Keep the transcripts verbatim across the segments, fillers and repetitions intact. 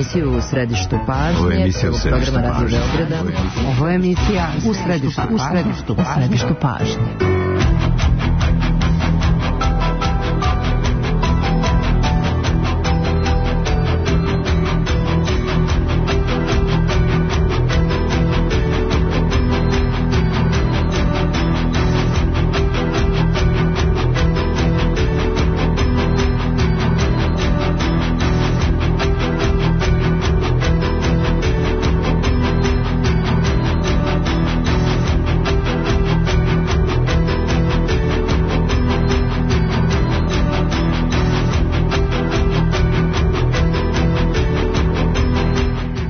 emisiju U središtu pažnje. Ovo je emisija U središtu pažnje. Ovo je emisija U središtu pažnje. U središtu pažnje.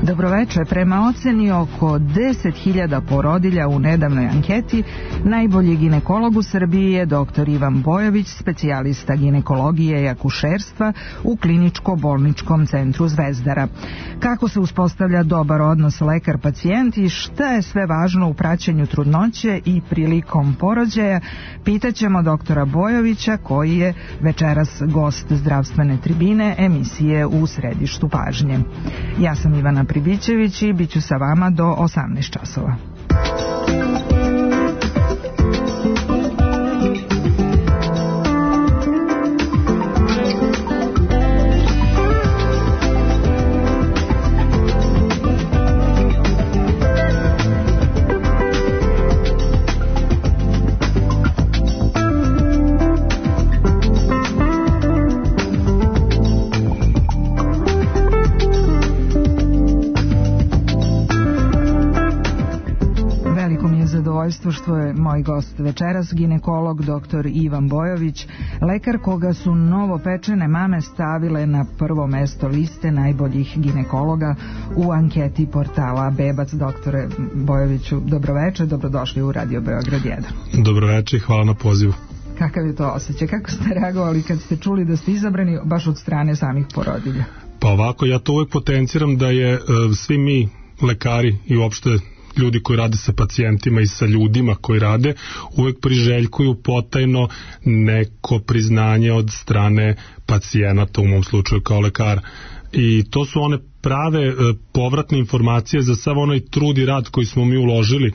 Dobroveče. Prema oceni oko deset hiljada porodilja u nedavnoj anketi, najbolji ginekolog u Srbiji je doktor Ivan Bojović, specijalista ginekologije i akušerstva u kliničko-bolničkom centru Zvezdara. Kako se uspostavlja dobar odnos lekar-pacijent i šta je sve važno u praćenju trudnoće i prilikom porođaja, pitaćemo doktora Bojovića, koji je večeras gost zdravstvene tribine emisije U središtu pažnje. Ja sam Ivana Pribićević i bit ću sa vama do osamnaest časova. Što je moj gost večeras, ginekolog doktor Ivan Bojović, lekar koga su novopečene mame stavile na prvo mesto liste najboljih ginekologa u anketi portala Bebac. Doktore Bojoviću, dobroveče, dobrodošli u Radio Beograd jedan. Dobroveče i hvala na pozivu. Kakav je to osjećaj? Kako ste reagovali kad ste čuli da ste izabrani baš od strane samih porodilja? Pa ovako, ja to uvek potenciram da je uh, svi mi lekari i uopšte ljudi koji rade sa pacijentima i sa ljudima koji rade, uvek priželjkuju potajno neko priznanje od strane pacijenata, u mom slučaju kao lekara. I to su one prave e, povratne informacije za sav onaj trud i rad koji smo mi uložili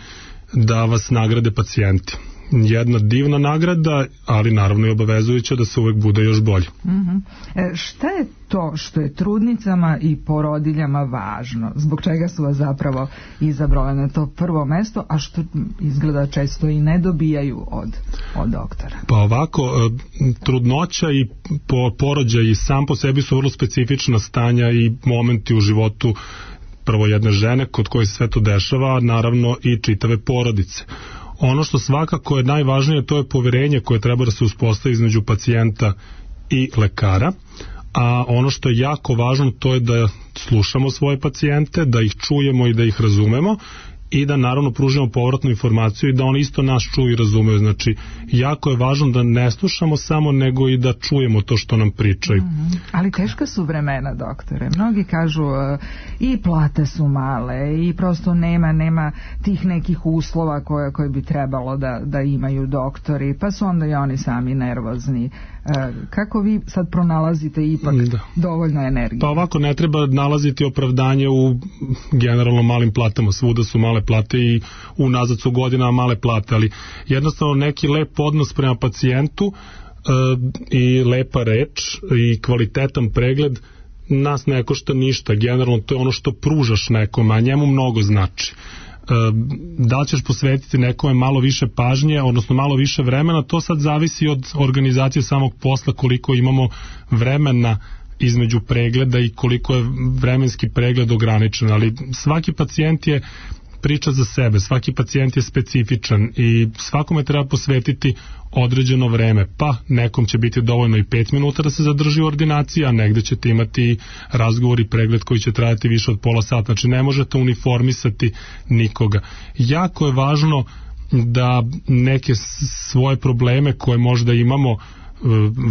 da vas nagrade pacijenti. Jedna divna nagrada, ali naravno i obavezujuća da se uvek bude još bolje. Mm-hmm. E, šta je to što je trudnicama i porodiljama važno? Zbog čega su vas zapravo izabrali na to prvo mesto, a što izgleda često i ne dobijaju od, od doktora? Pa ovako, trudnoća i porođaj i sam po sebi su vrlo specifična stanja i momenti u životu prvo jedne žene kod koje se sve to dešava, naravno i čitave porodice. Ono što svakako je najvažnije, to je poverenje koje treba da se uspostavi između pacijenta i lekara, a ono što je jako važno, to je da slušamo svoje pacijente, da ih čujemo i da ih razumemo i da naravno pružimo povratnu informaciju i da oni isto nas čuju i razumeju. Znači, jako je važno da ne slušamo samo, nego i da čujemo to što nam pričaju. Mm-hmm. Ali teška su vremena, doktore. Mnogi kažu uh, i plate su male i prosto nema nema tih nekih uslova koje, koje bi trebalo da, da imaju doktori, pa su onda i oni sami nervozni. Uh, kako vi sad pronalazite ipak da. dovoljno energije? Pa ovako, ne treba nalaziti opravdanje u generalno malim platama. Svuda su male plate i unazad su godinama male plate, ali jednostavno neki lep odnos prema pacijentu e, i lepa reč i kvalitetan pregled nas ne košta ništa. Generalno to je ono što pružaš nekome, a njemu mnogo znači. E, da li ćeš posvetiti nekome malo više pažnje, odnosno malo više vremena, to sad zavisi od organizacije samog posla, koliko imamo vremena između pregleda i koliko je vremenski pregled ograničen, ali svaki pacijent je priča za sebe, svaki pacijent je specifičan i svakome treba posvetiti određeno vreme, pa nekom će biti dovoljno i pet minuta da se zadrži u ordinaciji, a negde ćete imati razgovor i pregled koji će trajati više od pola sata, znači ne možete uniformisati nikoga. Jako je važno da neke svoje probleme koje možda imamo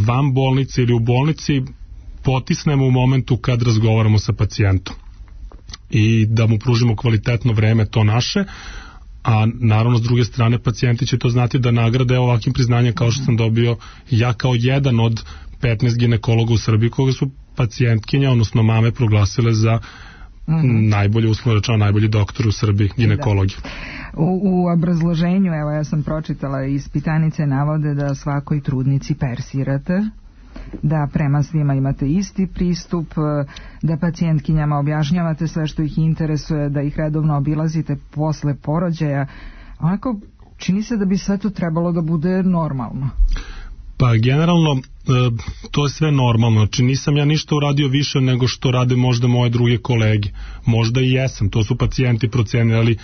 van bolnice ili u bolnici potisnemo u momentu kad razgovaramo sa pacijentom i da mu pružimo kvalitetno vreme to naše, a naravno s druge strane pacijenti će to znati da nagrade ovakvim priznanjem kao što sam dobio ja kao jedan od petnaest ginekologa u Srbiji koga su pacijentkinja, odnosno mame proglasile za mm-hmm. najbolje, uslovno rečeno, najbolji doktor u Srbiji, ginekologiju. U, u obrazloženju, evo ja sam pročitala, ispitanice navode da svakoj trudnici persirate, da prema svima imate isti pristup, da pacijentkinjama objašnjavate sve što ih interesuje, da ih redovno obilazite posle porođaja. Onako, čini se da bi sve to trebalo da bude normalno. Pa generalno to je sve normalno, znači nisam ja ništa uradio više nego što rade možda moje druge kolege, možda i jesam, to su pacijenti procenili, ali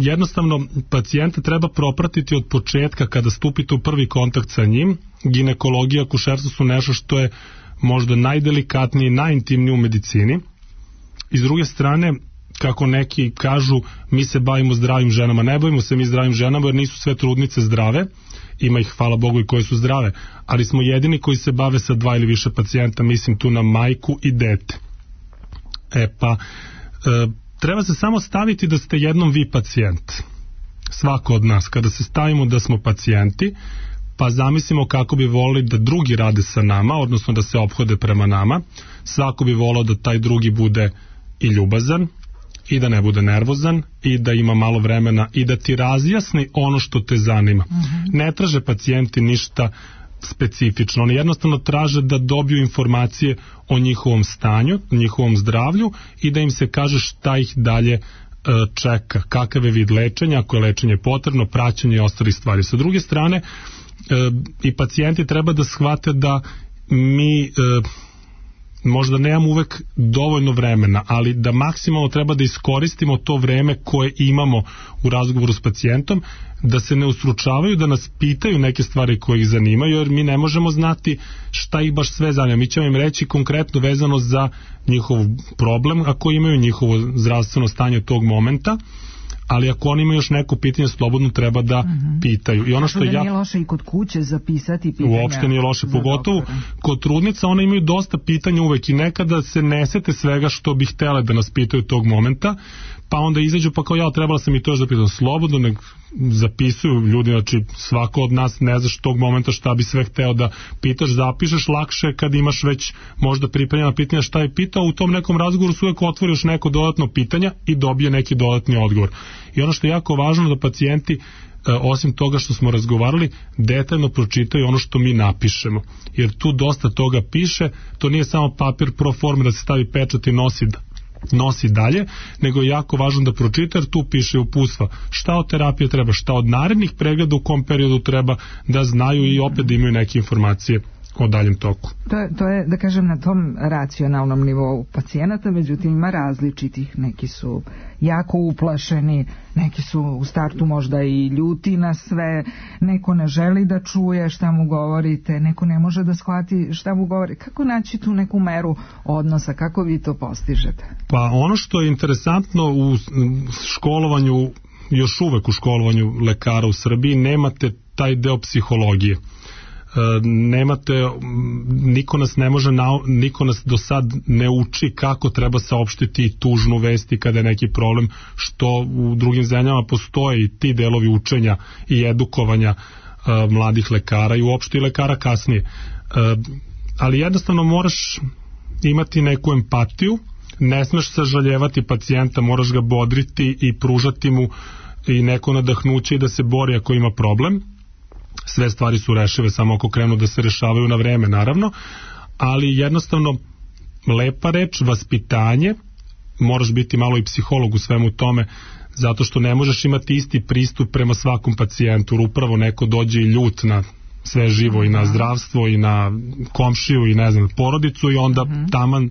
jednostavno pacijenta treba propratiti od početka kada stupite u prvi kontakt sa njim. Ginekologija, akušerstvo su nešto što je možda najdelikatnije i najintimnije u medicini, i s druge strane, kako neki kažu, mi se bavimo zdravim ženama. Ne bavimo se mi zdravim ženama jer nisu sve trudnice zdrave, ima ih, hvala Bogu, i koje su zdrave, ali smo jedini koji se bave sa dva ili više pacijenta, mislim tu na majku i dete. E pa, e, treba se samo staviti da ste jednom vi pacijent. Svako od nas, kada se stavimo da smo pacijenti, pa zamislimo kako bi volili da drugi rade sa nama, odnosno da se ophode prema nama, svako bi volao da taj drugi bude i ljubazan, i da ne bude nervozan, i da ima malo vremena, i da ti razjasni ono što te zanima. Mm-hmm. Ne traže pacijenti ništa specifično, oni jednostavno traže da dobiju informacije o njihovom stanju, njihovom zdravlju, i da im se kaže šta ih dalje e, čeka, kakav je vid lečenja, ako je lečenje potrebno, praćenje i ostali stvari. Sa druge strane, e, i pacijenti treba da shvate da mi e, možda nemamo uvek dovoljno vremena, ali da maksimalno treba da iskoristimo to vreme koje imamo u razgovoru s pacijentom, da se ne ustručavaju, da nas pitaju neke stvari koje ih zanimaju, jer mi ne možemo znati šta ih baš sve zanima. Mi ćemo im reći konkretno vezano za njihov problem, ako imaju njihovo zdravstveno stanje tog momenta, ali ako oni imaju još neko pitanje, slobodno treba da uh-huh. pitaju. I ono što da ja... nije loše i kod kuće zapisati pitanja. Uopšte nije loše, pogotovo kod trudnica, one imaju dosta pitanja uvek i nekada se ne sete svega što bi htele da nas pitaju tog momenta, pa onda izađu pa kao ja, trebala sam i to još da pitam. Slobodno nek zapisuju ljudi, znači svako od nas ne znaš tog momenta šta bi sve hteo da pitaš, zapišeš, lakše kad imaš već možda pripremljena pitanja šta je pitao, u tom nekom razgovoru su uvek otvoriš neko dodatno pitanja i dobije neki dodatni odgovor. I ono što je jako važno da pacijenti, osim toga što smo razgovarali, detaljno pročitaju ono što mi napišemo, jer tu dosta toga piše, to nije samo papir pro forme da se stavi pečat i nosi nosi dalje, nego je jako važno da pročita, jer tu piše uputstva šta od terapije treba, šta od narednih pregleda u kom periodu treba, da znaju i opet da imaju neke informacije o daljem toku. To je, to je, da kažem, na tom racionalnom nivou pacijenata, međutim ima različitih, neki su jako uplašeni, neki su u startu možda i ljuti na sve, neko ne želi da čuje šta mu govorite, neko ne može da shvati šta mu govori. Kako naći tu neku meru odnosa, kako vi to postižete? Pa ono što je interesantno u školovanju, još uvek u školovanju lekara u Srbiji, nemate taj deo psihologije. Nemate, niko nas ne može, niko nas do sad ne uči kako treba saopštiti tužnu vesti kada je neki problem, što u drugim zemljama postoje i ti delovi učenja i edukovanja uh, mladih lekara i uopšte i lekara kasnije. Uh, ali jednostavno moraš imati neku empatiju, ne smeš sažaljevati pacijenta, moraš ga bodriti i pružati mu i neko nadahnuće i da se bori ako ima problem. Sve stvari su rešive samo ako krenu da se rešavaju na vreme, naravno, ali jednostavno lepa reč, vaspitanje, moraš biti malo i psiholog u svemu tome, zato što ne možeš imati isti pristup prema svakom pacijentu, jer upravo neko dođe i ljut na sve živo i na zdravstvo i na komšiju i ne znam, porodicu, i onda taman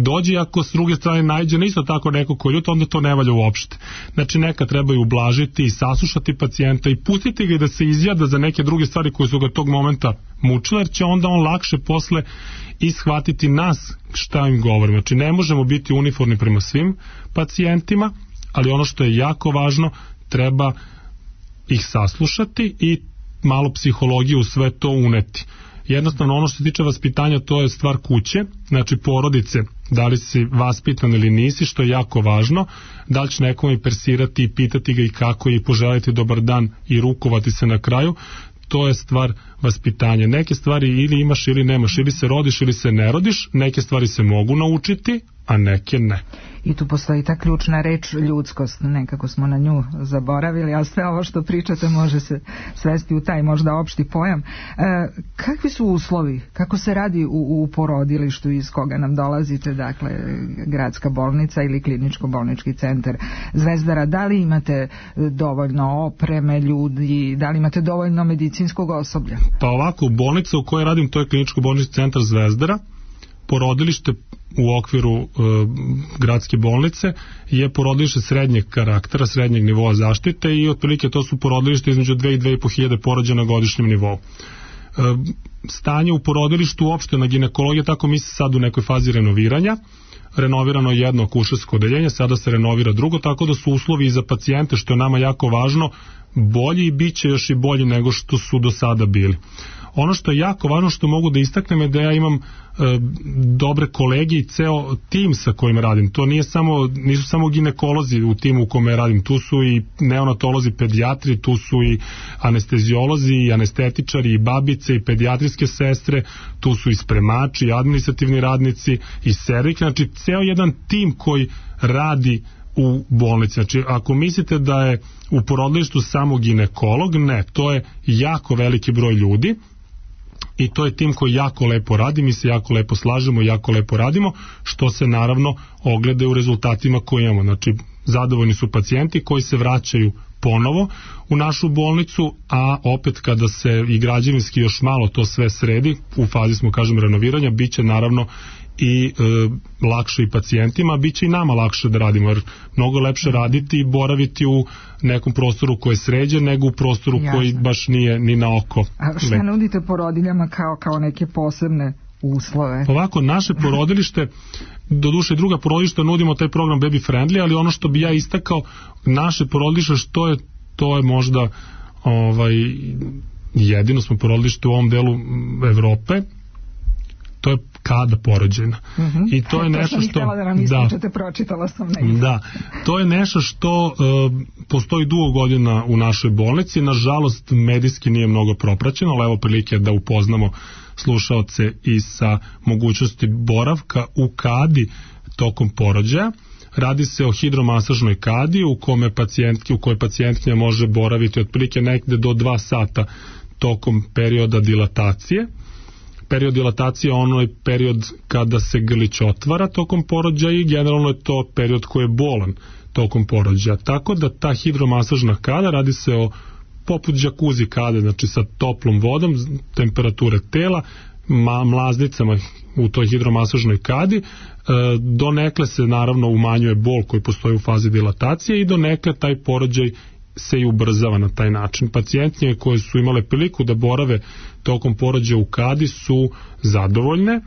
dođe, ako s druge strane najđe isto tako neko ko je ljut, onda to ne valja uopšte. Znači neka trebaju ublažiti i saslušati pacijenta i pustiti ga da se izjada za neke druge stvari koje su ga tog momenta mučile, jer će onda on lakše posle ishvatiti nas šta im govorimo. Znači ne možemo biti uniformni prema svim pacijentima, ali ono što je jako važno, treba ih saslušati i malo psihologije u sve to uneti. Jednostavno ono što se tiče vaspitanja, to je stvar kuće, znači porodice, da li si vaspitan ili nisi, što je jako važno, da li će nekome persirati i pitati ga i kako i poželiti dobar dan i rukovati se na kraju, to je stvar vaspitanja. Neke stvari ili imaš ili nemaš, ili se rodiš ili se ne rodiš, neke stvari se mogu naučiti, a neke ne. I tu postoji ta ključna reč ljudskost, nekako smo na nju zaboravili, a sve ovo što pričate može se svesti u taj možda opšti pojam. E, kakvi su uslovi? Kako se radi u, u porodilištu iz koga nam dolazite, dakle gradska bolnica ili kliničko-bolnički centar Zvezdara? Da li imate dovoljno opreme, ljudi, da li imate dovoljno medicinskog osoblja? Pa ovako, bolnica u kojoj radim, to je kliničko-bolnički centar Zvezdara. Porodilište u okviru e, gradske bolnice je porodilište srednjeg karaktera, srednjeg nivoa zaštite i otprilike to su porodilište između dve i dve i po hiljade porođaja na godišnjem nivou. E, stanje u porodilištu uopšte na ginekologiji, tako mi se sad u nekoj fazi renoviranja, renovirano je jedno akušersko odeljenje, sada se renovira drugo, tako da su uslovi za pacijente, što je nama jako važno, bolji i bit će još i bolji nego što su do sada bili. Ono što je jako važno, što mogu da istaknem, je da ja imam e, dobre kolege i ceo tim sa kojim radim. To nije samo, nisu samo ginekolozi u timu u kome radim, tu su i neonatolozi, pedijatri, tu su i anesteziolozi, i anestetičari, i babice, i pedijatrijske sestre, tu su i spremači, i administrativni radnici, i servik, znači ceo jedan tim koji radi u bolnici. Znači, ako mislite da je u porodilištu samo ginekolog, ne, to je jako veliki broj ljudi i to je tim koji jako lepo radi, mi se jako lepo slažemo, jako lepo radimo, što se naravno ogleda u rezultatima koje imamo. Znači, zadovoljni su pacijenti koji se vraćaju ponovo u našu bolnicu, a opet kada se i građevinski još malo to sve sredi, u fazi smo, kažem, renoviranja, bit će naravno i e, lakše i pacijentima, bit će i nama lakše da radimo, jer mnogo lepše raditi i boraviti u nekom prostoru koji je sređen nego u prostoru Jasne. Koji baš nije ni na oko. A šta nudite porodiljama kao, kao neke posebne uslove? Ovako, naše porodilište, doduše druga porodilišta nudimo taj program Baby Friendly, ali ono što bi ja istakao, naše porodilište, što je, to je možda ovaj, jedino smo porodilište u ovom delu Evrope, to je kada porođena. Mm-hmm. I to je to nešto što da nam ispričate, pročitala sam negdje. Da, to je nešto što uh, postoji dugo godina u našoj bolnici, nažalost medijski nije mnogo propraćeno, ali evo prilike da upoznamo slušaoce i sa mogućnosti boravka u kadi tokom porođaja. Radi se o hidromasažnoj kadi u kome pacijentki, u kojoj pacijentkinja može boraviti otprilike negde do dva sata tokom perioda dilatacije. Period dilatacije je onaj period kada se grlić otvara tokom porođaja i generalno je to period koji je bolan tokom porođaja. Tako da ta hidromasažna kada, radi se o poput džakuzi kade, znači sa toplom vodom, temperature tela, ma, mlaznicama u toj hidromasažnoj kadi, e, donekle se naravno umanjuje bol koji postoji u fazi dilatacije i donekle taj porođaj se i ubrzava na taj način. Pacijentnje koje su imale priliku da borave tokom porođaja u kadi su zadovoljne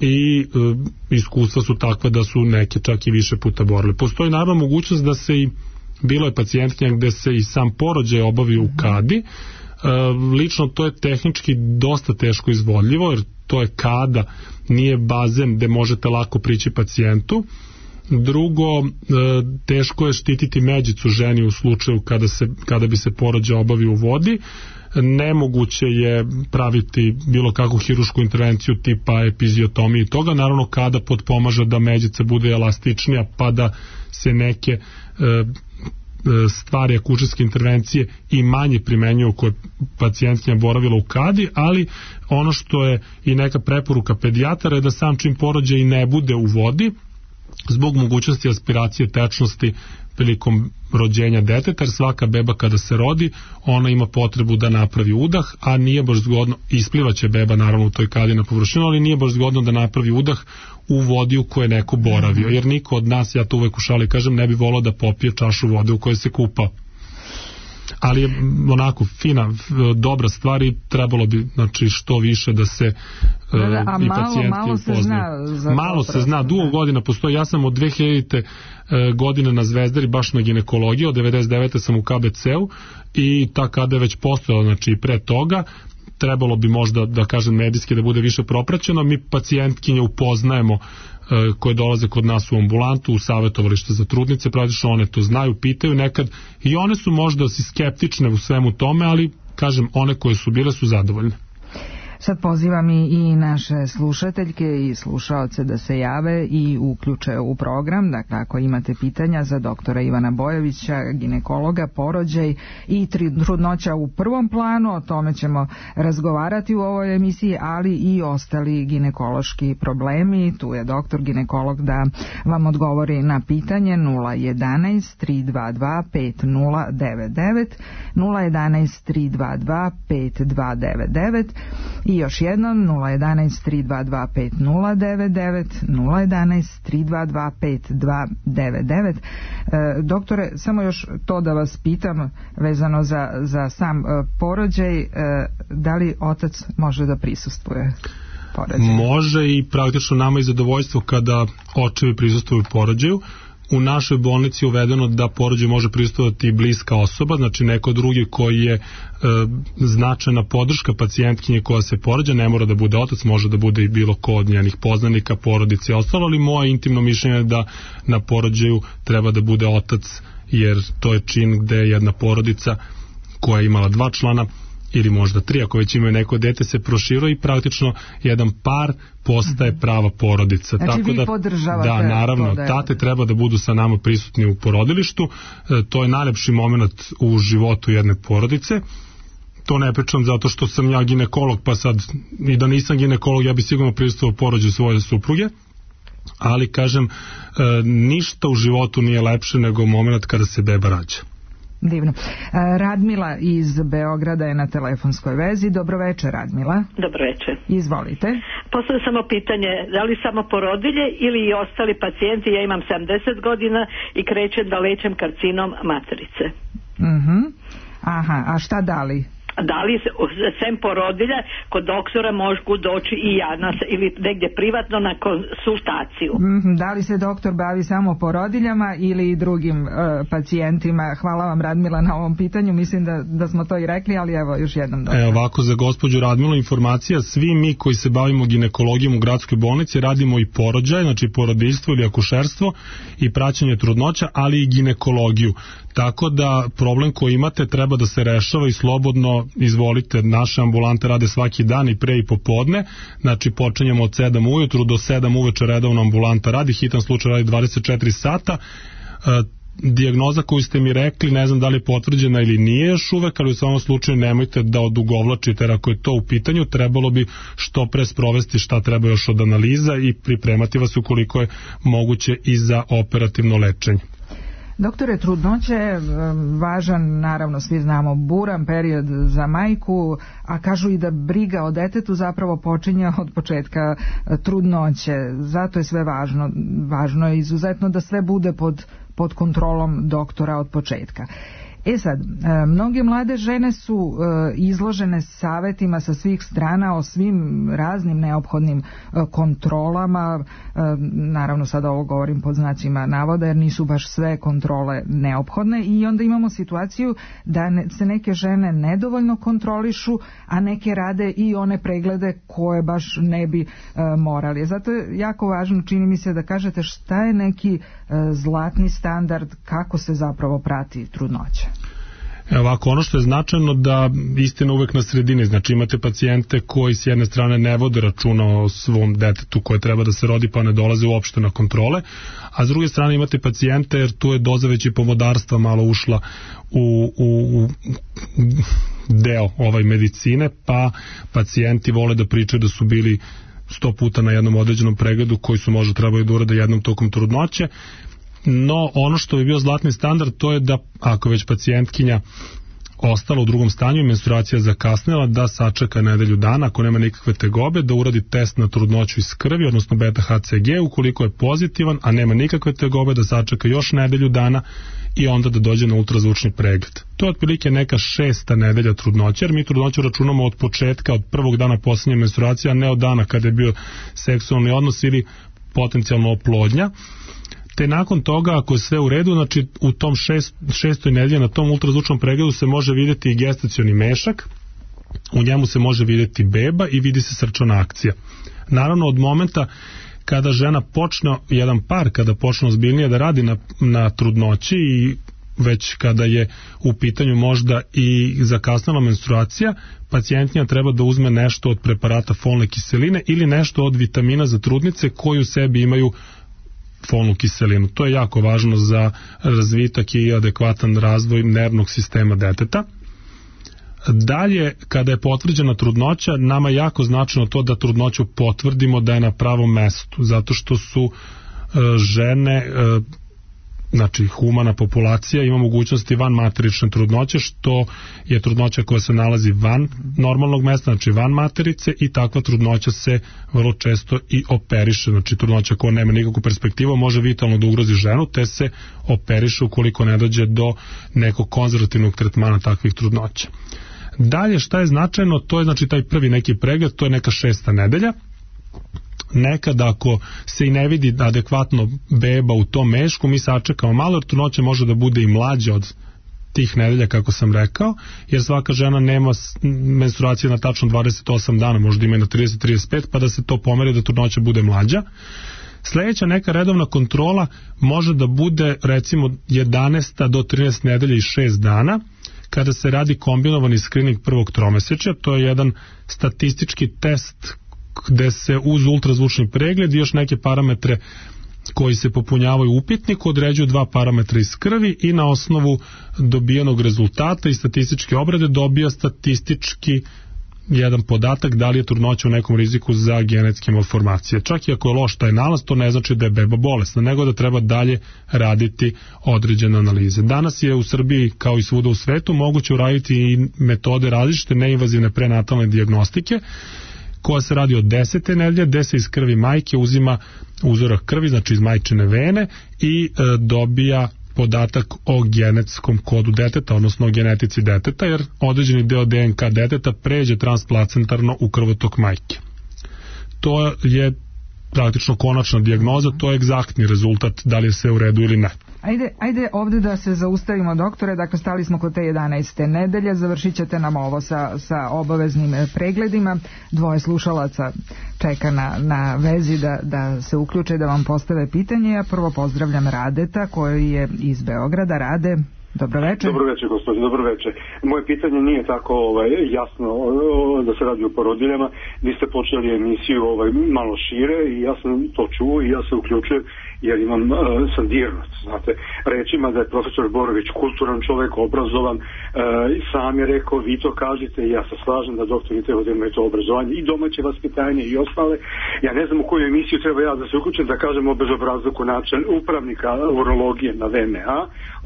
i e, iskustva su takva da su neke čak i više puta boravile. Postoji naravno mogućnost da se i bilo je pacijentkinja gde se i sam porođaj obavi u kadi. E, lično to je tehnički dosta teško izvodljivo, jer to je kada, nije bazen gde možete lako prići pacijentu. Drugo, e, teško je štititi međicu ženi u slučaju kada, se, kada bi se porođaj obavio u vodi. Nemoguće je praviti bilo kakvu hirušku intervenciju tipa epiziotomije i toga. Naravno, kada potpomaže da međica bude elastičnija pa da se neke e, stvari akušerske intervencije i manje primenjuju koje pacijentkinja boravila u kadi, ali ono što je i neka preporuka pedijatara je da sam čim porođaj i ne bude u vodi, zbog mogućnosti aspiracije tečnosti prilikom rođenja deteta, jer svaka beba kada se rodi, ona ima potrebu da napravi udah, a nije baš zgodno, isplivaće beba naravno u toj kadi na površinu, ali nije baš zgodno da napravi udah u vodi u kojoj je neko boravio, jer niko od nas, ja to uvek u šali kažem, ne bi volao da popije čašu vode u kojoj se kupao. Ali je onako fina, dobra stvar i trebalo bi, znači, što više da se da, da, a i malo, pacijenti malo se zna za malo se zna, dugo godina postoji. Ja sam od dve hiljadite godine na Zvezdari baš na ginekologiji, od devedeset devete sam u K B C-u i ta kada je već postojala, znači i pre toga, trebalo bi možda, da kažem, medijski da bude više propraćeno. Mi pacijentkinje upoznajemo koje dolaze kod nas u ambulantu, u savjetovalište za trudnice, praktično one to znaju, pitaju nekad i one su možda si skeptične u svemu tome, ali kažem, one koje su bile su zadovoljne. Sad pozivam i naše slušateljke i slušaoce da se jave i uključe u program. Dakle, ako imate pitanja za doktora Ivana Bojovića, ginekologa, porođaj i trudnoća u prvom planu, o tome ćemo razgovarati u ovoj emisiji, ali i ostali ginekološki problemi. Tu je doktor ginekolog da vam odgovori na pitanje nula jedanaest tri dva dva pet nula devet devet, nula jedanaest tri dva dva pet dva devet devet i još jednom nula jedanaest tri dva dva pet nula devet devet, nula jedanaest tri dva dva pet dva devet devet. E, doktore, samo još to da vas pitam vezano za, za sam e, porođaj, e, da li otac može da prisustvuje porođaju? Može i praktično nama je zadovoljstvo kada očevi prisustvuju porođaju. U našoj bolnici je uvedeno da porođaju može prisustvovati i bliska osoba, znači neko drugi koji je e, značajna podrška pacijentkinje koja se porođa, ne mora da bude otac, može da bude i bilo ko od njenih poznanika, porodice i ostalo, ali moje intimno mišljenje je da na porođaju treba da bude otac, jer to je čin gde jedna porodica koja je imala dva člana ili možda tri, ako već imaju neko dete, se proširuje i praktično jedan par postaje prava porodica. Znači tako vi da, podržavate da, naravno, da je... tate treba da budu sa nama prisutni u porodilištu, e, to je najlepši moment u životu jedne porodice. To ne pričam zato što sam ja ginekolog, pa sad i da nisam ginekolog, ja bi sigurno prisustvovao porođaju svoje supruge, ali kažem, e, ništa u životu nije lepše nego moment kada se beba rađa. Divno. Radmila iz Beograda je na telefonskoj vezi. Dobro večer, Radmila. Dobro večer. Izvolite. Postavljam samo pitanje, da li samo porodilje ili i ostali pacijenti? Ja imam sedamdeset godina i krećem da lečem karcinom materice. Uh-huh. Aha, a šta da li? Da li sem porodilja kod doktora mogu doći i ja na, ili negdje privatno na konsultaciju? Mm, da li se doktor bavi samo porodiljama ili i drugim uh, pacijentima? Hvala vam, Radmila, na ovom pitanju. Mislim da, da smo to i rekli, ali evo još jednom doktor. E, ovako za gospođu Radmilu informacija, svi mi koji se bavimo ginekologijom u gradskoj bolnici radimo i porođaj, znači porodiljstvo ili akušerstvo i praćenje trudnoća, ali i ginekologiju. Tako da problem koji imate treba da se rešava i slobodno izvolite, naše ambulante rade svaki dan i pre i popodne, znači počinjemo od sedam ujutru do sedam uveče redovno ambulanta radi, hitan slučaj radi dvadeset četiri sata. E, dijagnoza koju ste mi rekli, ne znam da li je potvrđena ili nije još uvek, ali u svakom slučaju nemojte da odugovlačite, jer ako je to u pitanju, trebalo bi što pre sprovesti šta treba još od analiza i pripremati vas ukoliko je moguće i za operativno lečenje. Doktore, trudnoća je važan, naravno svi znamo, buran period za majku, a kažu i da briga o detetu zapravo počinje od početka trudnoće. Zato je sve važno. Važno je izuzetno da sve bude pod, pod kontrolom doktora od početka. E sad, mnoge mlade žene su izložene savetima sa svih strana o svim raznim neophodnim kontrolama, naravno sada ovo govorim pod znacima navoda jer nisu baš sve kontrole neophodne i onda imamo situaciju da se neke žene nedovoljno kontrolišu, a neke rade i one preglede koje baš ne bi morali. Zato je jako važno, čini mi se, da kažete šta je neki zlatni standard, kako se zapravo prati trudnoća. Ovako, ono što je značajno da istina uvek na sredini, znači imate pacijente koji s jedne strane ne vode računa o svom detetu koje treba da se rodi pa ne dolaze uopšte na kontrole, a s druge strane imate pacijente jer tu je doza već i pomodarstva malo ušla u, u, u deo ovaj medicine, pa pacijenti vole da pričaju da su bili sto puta na jednom određenom pregledu koji su možda trebali da urade jednom tokom trudnoće. No, ono što bi bio zlatni standard, to je da ako već pacijentkinja ostala u drugom stanju i menstruacija zakasnila, da sačeka nedelju dana, ako nema nikakve tegobe, da uradi test na trudnoću iz krvi, odnosno beta H C G, ukoliko je pozitivan, a nema nikakve tegobe, da sačeka još nedelju dana i onda da dođe na ultrazvučni pregled. To je otprilike neka šesta nedelja trudnoće, jer mi trudnoću računamo od početka, od prvog dana posljednje menstruacije, a ne od dana kada je bio seksualni odnos ili potencijalno oplodnja. Te nakon toga, ako je sve u redu, znači u tom šest, šestoj nedelji na tom ultrazvučnom pregledu se može vidjeti i gestacioni mešak, u njemu se može vidjeti beba i vidi se srčana akcija. Naravno, od momenta kada žena počne, jedan par kada počne ozbiljnije da radi na, na trudnoći i već kada je u pitanju možda i zakasnala menstruacija, pacijentnja treba da uzme nešto od preparata folne kiseline ili nešto od vitamina za trudnice koji u sebi imaju folnu kiselinu. To je jako važno za razvitak i adekvatan razvoj nervnog sistema deteta. Dalje, kada je potvrđena trudnoća, nama je jako značajno to da trudnoću potvrdimo da je na pravom mestu, zato što su e, žene, e, znači humana populacija, ima mogućnosti van materične trudnoće, što je trudnoća koja se nalazi van normalnog mesta, znači van materice, i takva trudnoća se vrlo često i operiše, znači trudnoća koja nema nikakvu perspektivu može vitalno da ugrozi ženu, te se operiše ukoliko ne dođe do nekog konzervativnog tretmana takvih trudnoća. Dalje, šta je značajno, to je znači taj prvi neki pregled, to je neka šesta nedelja. Nekada ako se i ne vidi adekvatno beba u tom mešku, mi sačekamo malo, jer trudnoća može da bude i mlađa od tih nedelja, kako sam rekao, jer svaka žena nema menstruacije na tačno dvadeset osam dana, možda ima i na trideset do trideset pet, pa da se to pomeri da trudnoća bude mlađa. Sledeća neka redovna kontrola može da bude recimo jedanaesta do trinaeste nedelja i šest dana, kada se radi kombinovani skrining prvog tromesečja. To je jedan statistički test gde se uz ultrazvučni pregled i još neke parametre koji se popunjavaju u upitniku određuju dva parametra iz krvi i na osnovu dobijenog rezultata i statističke obrade dobija statistički jedan podatak da li je trudnoća u nekom riziku za genetske malformacije. Čak i ako je loš taj nalaz, to ne znači da je beba bolesna, nego da treba dalje raditi određene analize. Danas je u Srbiji, kao i svuda u svetu, moguće uraditi i metode različite neinvazivne prenatalne dijagnostike, koja se radi od desete nedelje, gde se iz krvi majke uzima uzorak krvi, znači iz majčine vene, i e, dobija podatak o genetskom kodu deteta, odnosno o genetici deteta, jer određeni deo D N K deteta pređe transplacentarno u krvotok majke. To je praktično konačna dijagnoza, to je egzaktni rezultat da li je sve u redu ili ne. Ajde, ajde ovde da se zaustavimo, doktore, dakle stali smo kod te jedanaeste nedelje, završit ćete nam ovo sa, sa obaveznim pregledima, dvoje slušalaca čeka na, na vezi da, da se uključe, da vam postave pitanje. Ja prvo pozdravljam Radeta koji je iz Beograda. Rade, dobro večer. Dobro večer, gospodin, dobro večer. Moje pitanje nije tako ovaj, jasno da se radi o porodiljama. Vi ste počeli emisiju ovaj, malo šire i ja sam to čuo i ja se uključujem jer imam uh, sandirnost, znate, rečima da je profesor Borović kulturan čovjek, obrazovan, uh, sam je rekao, vi to kažete i ja se slažem da doktori treba da imaju to obrazovanje i domaće vaspitanje i ostale. Ja ne znam u koju emisiju treba ja da se uključim da kažem o bezobrazluku način upravnika urologije na V M A,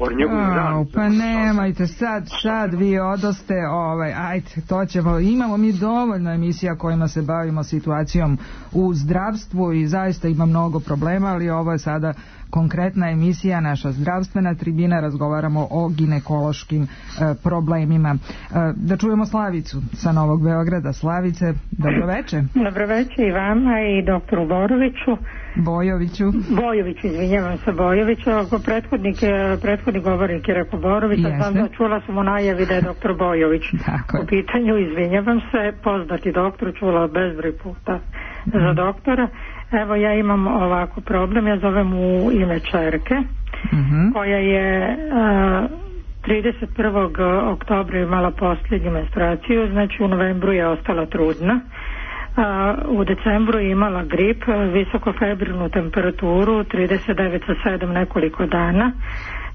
o njegovim radnicama. Pa nemajte, sad, sad vi odoste, ovaj, ajde, to ćemo, imamo mi dovoljno emisija kojima se bavimo situacijom u zdravstvu i zaista ima mnogo problema, ali ovo je sada konkretna emisija, naša zdravstvena tribina, razgovaramo o ginekološkim e, problemima. E, da čujemo Slavicu sa Novog Beograda. Slavice, dobro veče. Dobro veče i vama i doktoru Boroviću. Bojoviću. Bojoviću, izvinjavam se, Bojoviću. Ako prethodnik, prethodnik govornik je rekao Borović, a sam da čula sam u najavi da je doktor Bojović. Tako. U pitanju, izvinjavam se, poznati doktor, čula bezbroj puta mm. za doktora. Evo, ja imam ovako problem, ja zovem u ime čerke, mm-hmm. koja je a, trideset prvog oktobra imala posljednju menstruaciju, znači u novembru je ostala trudna, a, u decembru je imala grip, visokofebrilnu temperaturu, trideset devet zarez sedam nekoliko dana.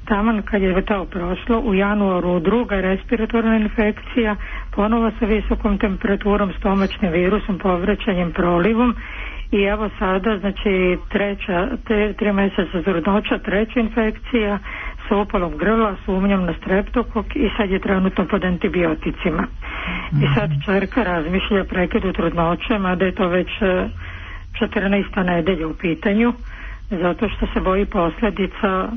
Taman kad je to prošlo, u januaru druga respiratorna infekcija, ponovo sa visokom temperaturom, stomačnim virusom, povraćanjem, prolivom. I evo sada, znači, treća, tre, tri mjeseca trudnoća, treća infekcija sa upalom grla, sumnjom na streptokok i sad je trenutno pod antibioticima. Mm-hmm. I sad čerka razmišlja prekidu trudnoće, mada je to već četrnaesta nedelja u pitanju, zato što se boji posljedica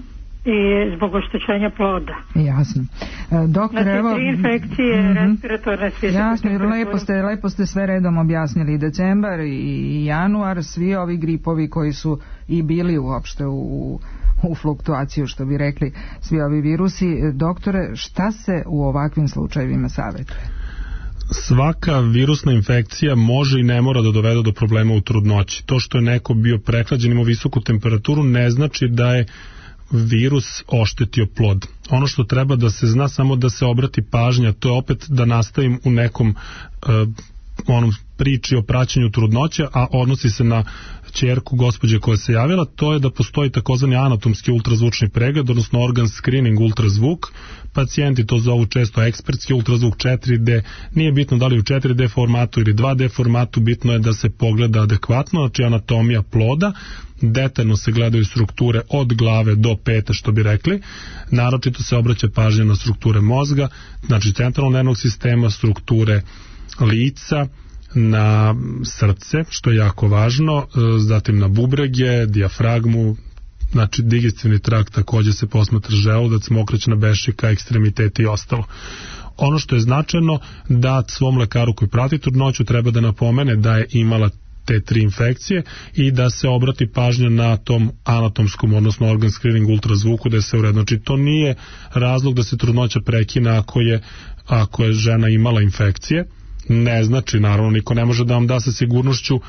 i zbog oštećenja ploda. Jasno. E, doktor, znači, evo, tri infekcije, mm-hmm. respiratorne, svijeske. Jasno, jer lepo ste, lepo ste sve redom objasnili. I decembar i januar, svi ovi gripovi koji su i bili uopšte u, u fluktuaciju, što bi rekli, svi ovi virusi. Doktore, šta se u ovakvim slučajevima savjetuje? Svaka virusna infekcija može i ne mora da dovede do problema u trudnoći. To što je neko bio prehlađen, imao visoku temperaturu, ne znači da je virus oštetio plod. Ono što treba da se zna, samo da se obrati pažnja, to je opet da nastavim u nekom uh, onom priči o praćenju trudnoće, a odnosi se na ćerku gospođe koja se javila, to je da postoji takozvani anatomski ultrazvučni pregled, odnosno organ screening ultrazvuk. Pacijenti to zovu često ekspertski ultrazvuk četiri D, nije bitno da li u četiri D formatu ili dva D formatu, bitno je da se pogleda adekvatno, znači anatomija ploda, detaljno se gledaju strukture od glave do pete, što bi rekli, naročito se obraća pažnja na strukture mozga, znači centralnog nervnog sistema, strukture lica, na srce, što je jako važno, zatim na bubrege, dijafragmu, znači digestivni trakt, takođe se posmatra želudac, mokraćna bešika, ekstremiteti i ostalo. Ono što je značajno, da svom lekaru koji prati trudnoću treba da napomene da je imala te tri infekcije i da se obrati pažnja na tom anatomskom, odnosno organ screening ultrazvuku, da se uredno. Znači to nije razlog da se trudnoća prekine ako je, ako je žena imala infekcije. Ne znači, naravno, niko ne može da vam da sa sigurnošću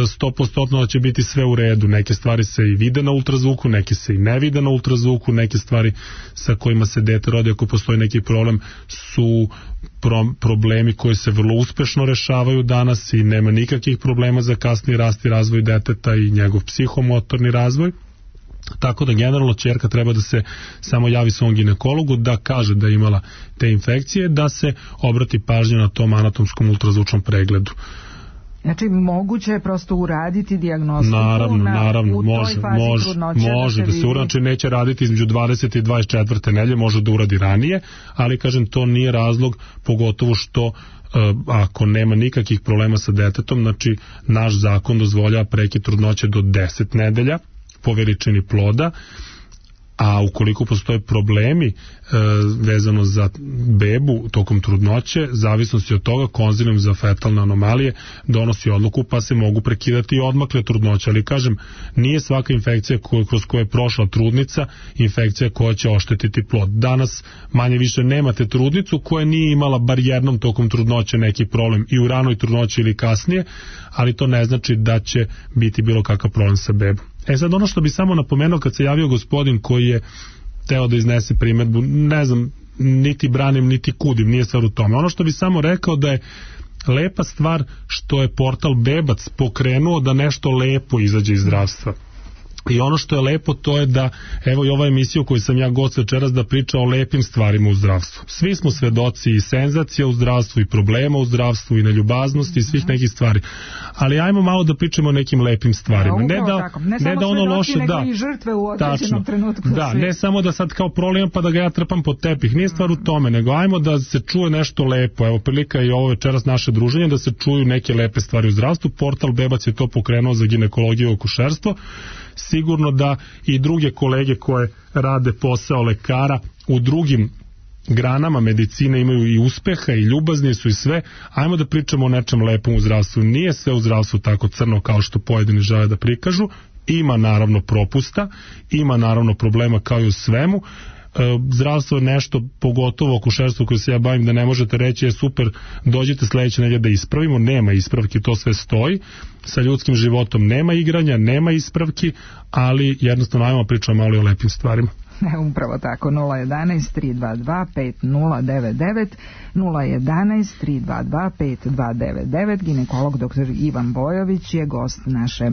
sto posto da će biti sve u redu. Neke stvari se i vide na ultrazvuku, neke se i ne vide na ultrazvuku, neke stvari sa kojima se dete rodi ako postoji neki problem su pro, problemi koji se vrlo uspešno rešavaju danas i nema nikakvih problema za kasni rast i razvoj deteta i njegov psihomotorni razvoj. Tako da generalno ćerka treba da se samo javi svom ginekologu, da kaže da je imala te infekcije, da se obrati pažnja na tom anatomskom ultrazvučnom pregledu. Znači moguće je prosto uraditi dijagnostiku naravno, na, naravno, u može, toj fazi može, trudnoće može da se, da se uradi, neće raditi između dvadesete i dvadeset četvrte nedelje, može da uradi ranije, ali kažem to nije razlog, pogotovo što uh, ako nema nikakvih problema sa detetom, znači naš zakon dozvoljava prekid trudnoće do deset nedelja po veličini ploda, a ukoliko postoje problemi e, vezano za bebu tokom trudnoće, zavisnosti od toga konzilijum za fetalne anomalije donosi odluku pa se mogu prekidati i odmakle trudnoće, ali kažem, nije svaka infekcija koju, kroz koju je prošla trudnica infekcija koja će oštetiti plod. Danas manje više nemate trudnicu koja nije imala bar jednom tokom trudnoće neki problem i u ranoj trudnoći ili kasnije, ali to ne znači da će biti bilo kakav problem sa bebom. E sad ono što bi samo napomenuo kad se javio gospodin koji je teo da iznese primedbu, ne znam, niti branim, niti kudim, nije stvar u tome. Ono što bi samo rekao da je lepa stvar što je portal Bebac pokrenuo da nešto lepo izađe iz zdravstva. I ono što je lepo to je da, evo i ova emisija u kojoj sam ja gost večeras da priča o lepim stvarima u zdravstvu. Svi smo svedoci i senzacija u zdravstvu i problema u zdravstvu i neljubaznosti i svih nekih stvari. Ali ajmo malo da pričamo o nekim lepim stvarima. Ja, ne da, ne ne da ono loše, da. I žrtve u određenom trenutku. Da, ne samo da sad kao problem pa da ga ja trpam pod tepih. Nije stvar u tome, nego ajmo da se čuje nešto lepo. Evo prilika i ovo večeras naše druženje da se čuju neke lepe stvari u zdravstvu. Portal Bebac je to pokrenuo za ginekologiju i akušerstvo. Sigurno da i druge kolege koje rade posao lekara u drugim granama medicine imaju i uspeha i ljubazni su i sve. Ajmo da pričamo o nečem lepom u zdravstvu. Nije sve u zdravstvu tako crno kao što pojedini žele da prikažu. Ima naravno propusta, ima naravno problema kao i u svemu. Zdravstvo je nešto, pogotovo akušerstvo koje se ja bavim, da ne možete reći je super, dođite sledeće nedelje da ispravimo, nema ispravki, to sve stoji. Sa ljudskim životom nema igranja, nema ispravki, ali jednostavno ajmo pričamo malo o lepim stvarima. Upravo tako, nula jedanaest tri dva dva pet nula devet devet, nula jedanaest tri dva dva pet dva devet devet. Ginekolog doktor Ivan Bojović je gost naše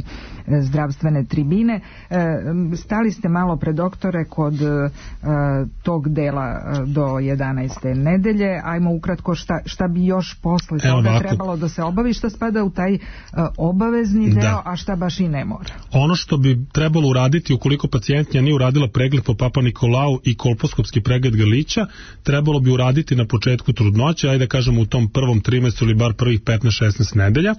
zdravstvene tribine. Stali ste malo pre doktore kod tog dela do jedanaeste nedelje. Ajmo ukratko šta, šta bi još posle toga trebalo da se obavi, šta spada u taj obavezni deo, da. A šta baš i ne mora. Ono što bi trebalo uraditi ukoliko pacijentnja nije uradila pregled po Papa Nikolau i kolposkopski pregled grlića, trebalo bi uraditi na početku trudnoće, ajde da kažemo u tom prvom trimestru ili bar prvih petnaest šesnaest nedelja.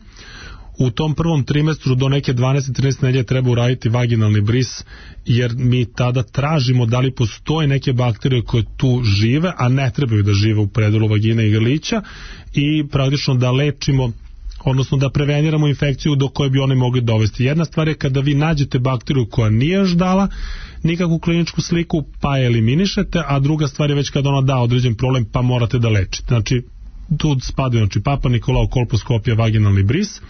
U tom prvom trimestru do neke dvanaeste trinaeste nedelje treba uraditi vaginalni bris, jer mi tada tražimo da li postoje neke bakterije koje tu žive, a ne trebaju da žive u predelu vagine i grlića, i praktično da lečimo, odnosno da preveniramo infekciju do koje bi one mogli dovesti. Jedna stvar je kada vi nađete bakteriju koja nije još dala nikakvu kliničku sliku, pa je eliminišete, a druga stvar je već kada ona da određen problem, pa morate da lečite. Znači, tu spadaju znači, Papa Nikolau, kolposkopija, vaginalni bris.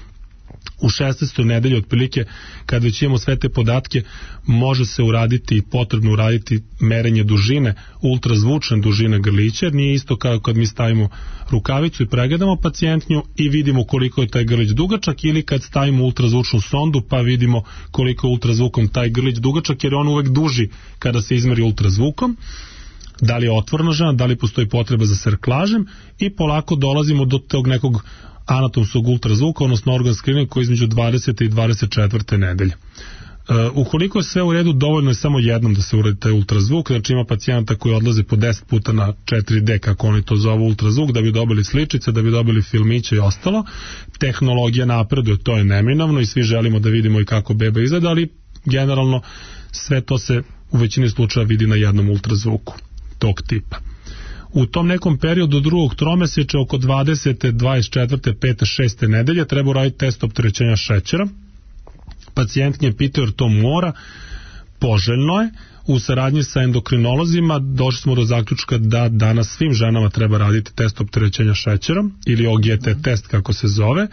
U šesnaestoj nedelji otprilike, kad već imamo sve te podatke, može se uraditi i potrebno uraditi merenje dužine, ultrazvučne dužine grlića, jer nije isto kao kad mi stavimo rukavicu i pregledamo pacijentnju i vidimo koliko je taj grlić dugačak, ili kad stavimo ultrazvučnu sondu pa vidimo koliko je ultrazvukom taj grlić dugačak, jer je on uvek duži kada se izmeri ultrazvukom. Da li je otvorena žena, da li postoji potreba za serklažem, i polako dolazimo do tog nekog anatomskog ultrazvuka, odnosno organ screening koji je između dvadesete i dvadeset četvrte nedelje. Uh, ukoliko je sve u redu, dovoljno je samo jednom da se uradi taj ultrazvuk, znači ima pacijenta koji odlaze po deset puta na četiri D, kako oni to zovu, ultrazvuk, da bi dobili sličice, da bi dobili filmiće i ostalo. Tehnologija napreduje, to je neminovno i svi želimo da vidimo i kako beba izgleda, ali generalno sve to se u većini slučaja vidi na jednom ultrazvuku tog tipa. U tom nekom periodu drugog tromesečja, oko dvadesete, dvadeset četvrte, pete, šeste nedelje, treba uraditi test opterećenja šećera. Pacijentnje pitaju jer to mora, poželjno je. U saradnji sa endokrinolozima došli smo do zaključka da danas svim ženama treba raditi test opterećenja šećerom, ili O G T test kako se zove,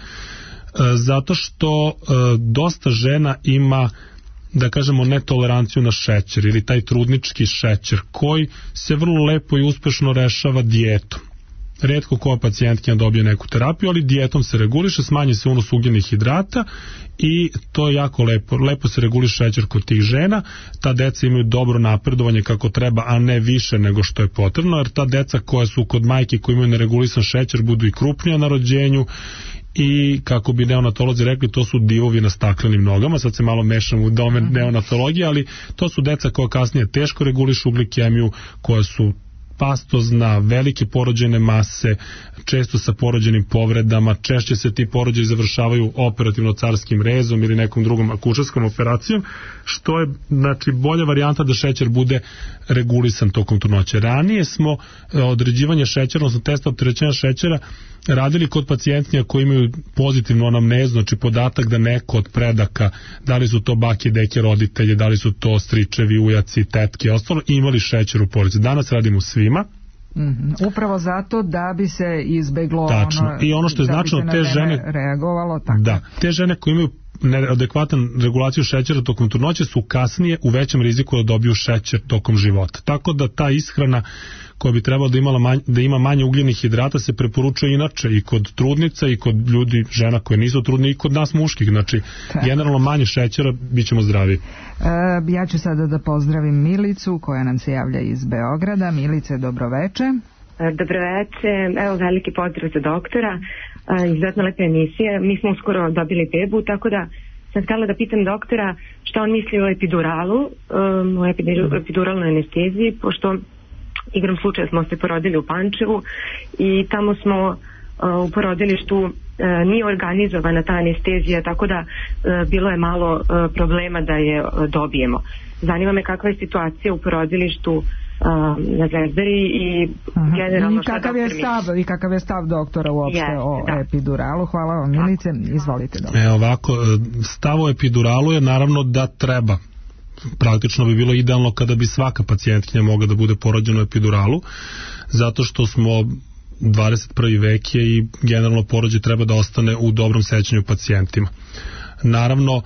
zato što dosta žena ima, da kažemo, netoleranciju na šećer ili taj trudnički šećer koji se vrlo lepo i uspešno rešava dijetom. Retko koja pacijentkinja dobije neku terapiju, ali dijetom se reguliše, smanji se unos ugljenih hidrata i to je jako lepo. Lepo se reguliše šećer kod tih žena, ta deca imaju dobro napredovanje kako treba, a ne više nego što je potrebno, jer ta deca koja su kod majke koji imaju neregulisan šećer budu i krupnija na rođenju i, kako bi neonatolozi rekli, to su divovi na staklenim nogama. Sad se malo mešam u domen neonatologije, ali to su deca koja kasnije teško regulišu glikemiju, koja su pastozna, velike porođajne mase, često sa porođenim povredama, češće se ti porođaji završavaju operativno carskim rezom ili nekom drugom akušerskom operacijom, što je, znači, bolja varijanta da šećer bude regulisan tokom trudnoće. Ranije smo određivanje šećera, odnosno testa opterećenja šećera radili kod pacijentnija koji imaju pozitivnu anamnezu, znači podatak da neko od predaka, da li su to bake, deke, roditelji, da li su to stričevi, ujaci, tetke i ostalo, imali šećer u porodici. Danas radimo svima. Mm-hmm. Upravo zato da bi se izbeglo tačno. ono, i ono što je značajno, te žene reagovalo tako. Da, te žene koje imaju neadekvatan regulaciju šećera tokom trudnoće su kasnije u većem riziku da dobiju šećer tokom života. Tako da ta ishrana koja bi trebala da, imala manj, da ima manje ugljenih hidrata se preporučuje inače i kod trudnica i kod ljudi, žena koje nisu trudni, i kod nas muških. Znači, tako, generalno manje šećera, bit ćemo zdravi. E, ja ću sada da pozdravim Milicu koja nam se javlja iz Beograda. Milice, dobroveče. Dobroveče, evo veliki pozdrav za doktora, izuzetno lepa emisija. Mi smo uskoro dobili bebu, tako da sam htjela da pitam doktora šta on misli o epiduralu, um, o epiduralnoj anesteziji, pošto igrom slučaja smo se porodili u Pančevu i tamo smo uh, u porodilištu uh, nije organizovana ta anestezija, tako da uh, bilo je malo uh, problema da je uh, dobijemo. Zanima me kakva je situacija u porodilištu na Zvezdari i generalno i kakav je stav i kakav je stav doktora uopšte yes, o da. epiduralu. Hvala vam, Milice, izvolite doktor. E, ovako, stav o epiduralu je naravno da treba. Praktično bi bilo idealno kada bi svaka pacijentkinja mogla da bude porođena u epiduralu, zato što smo dvadeset prvi vek je i generalno porođaj treba da ostane u dobrom sećanju pacijentima. Naravno,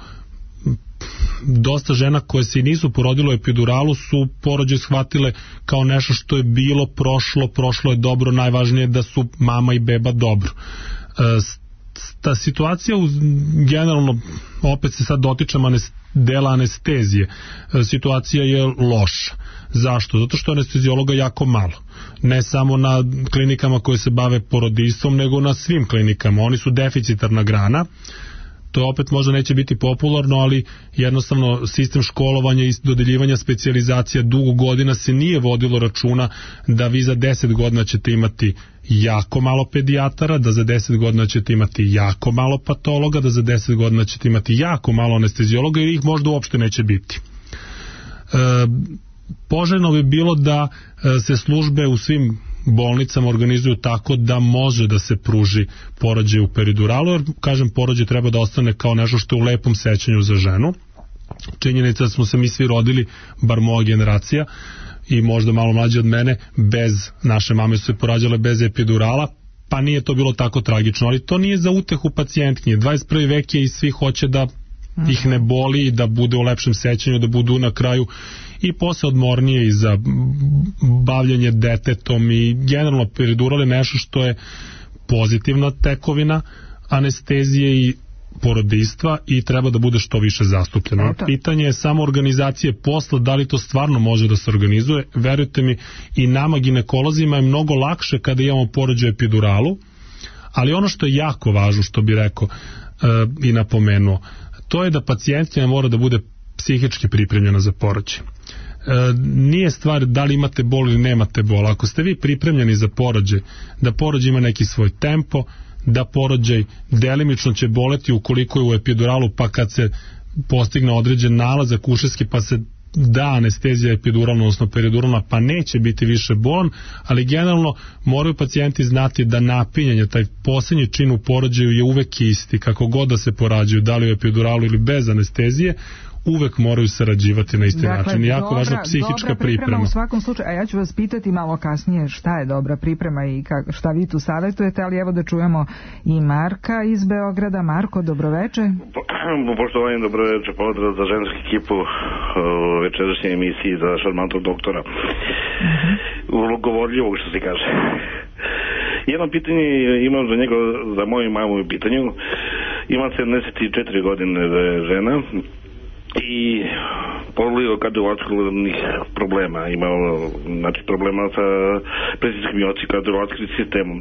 dosta žena koje se nisu porodile u epiduralu su porođaj shvatile kao nešto što je bilo, prošlo, prošlo je dobro, najvažnije je da su mama i beba dobro. Ta situacija u, generalno, opet se sad dotičem anes, dela anestezije, situacija je loša. Zašto? Zato što anestezijologa jako malo. Ne samo na klinikama koje se bave porodistvom, nego na svim klinikama. Oni su deficitarna grana. To opet možda neće biti popularno, ali jednostavno sistem školovanja i dodeljivanja specijalizacija dugo godina se nije vodilo računa da vi za deset godina ćete imati jako malo pedijatara, da za deset godina ćete imati jako malo patologa, da za deset godina ćete imati jako malo anestezijologa i ih možda uopšte neće biti. E, poželjno bi bilo da se službe u svim bolnicama organizuju tako da može da se pruži porođaj u periduralu, jer, kažem, porođaj treba da ostane kao nešto što je u lepom sećanju za ženu. Činjenica da smo se mi svi rodili, bar moja generacija i možda malo mlađe od mene, bez, naše mame su se porađale bez epidurala, pa nije to bilo tako tragično, ali to nije za utehu pacijentkinje. dvadeset prvi vek je i svi hoće da ih ne boli, da bude u lepšem sećanju, da budu na kraju i posle odmornije i za bavljanje detetom i generalno peridural je nešto što je pozitivna tekovina anestezije i porodilstva i treba da bude što više zastupljeno. Eto. Pitanje je samo organizacije posla, da li to stvarno može da se organizuje. Verujte mi, i nama ginekolozima je mnogo lakše kada imamo porođaj epiduralu, ali ono što je jako važno, što bi rekao e, i napomenuo, to je da pacijentkinja mora da bude psihički pripremljena za porođaj. E, nije stvar da li imate bol ili nemate bol. Ako ste vi pripremljeni za porođaj, da porođaj ima neki svoj tempo, da porođaj delimično će boleti ukoliko je u epiduralu, pa kad se postigne određen nalazak ušeski pa se da anestezija epiduralna, odnosno periduralna, pa neće biti više bolan, ali generalno moraju pacijenti znati da napinjanje, taj posljednji čin u porođaju je uvek isti, kako god da se porađaju, da li u epiduralu ili bez anestezije, uvek moraju sarađivati na isti dakle, način. Jako dobra, važna psihička dobra priprema. priprema. U svakom slučaju, a ja ću vas pitati malo kasnije šta je dobra priprema i kak, šta vi tu savjetujete, ali evo da čujemo i Marka iz Beograda. Marko, dobroveče. Po, poštovanje, dobroveče, pozdrav za žensku ekipu u večerašnjoj emisiji za šarmantog doktora. Uh-huh. Govorljivog, što se kaže. Jedno pitanje imam za njega, za moju mamu u pitanju. Imam sedamdeset četiri godine žena i polio kardiovaskularnih problema, imao znači problema sa presiskom i kardiovaskularnim sistemom.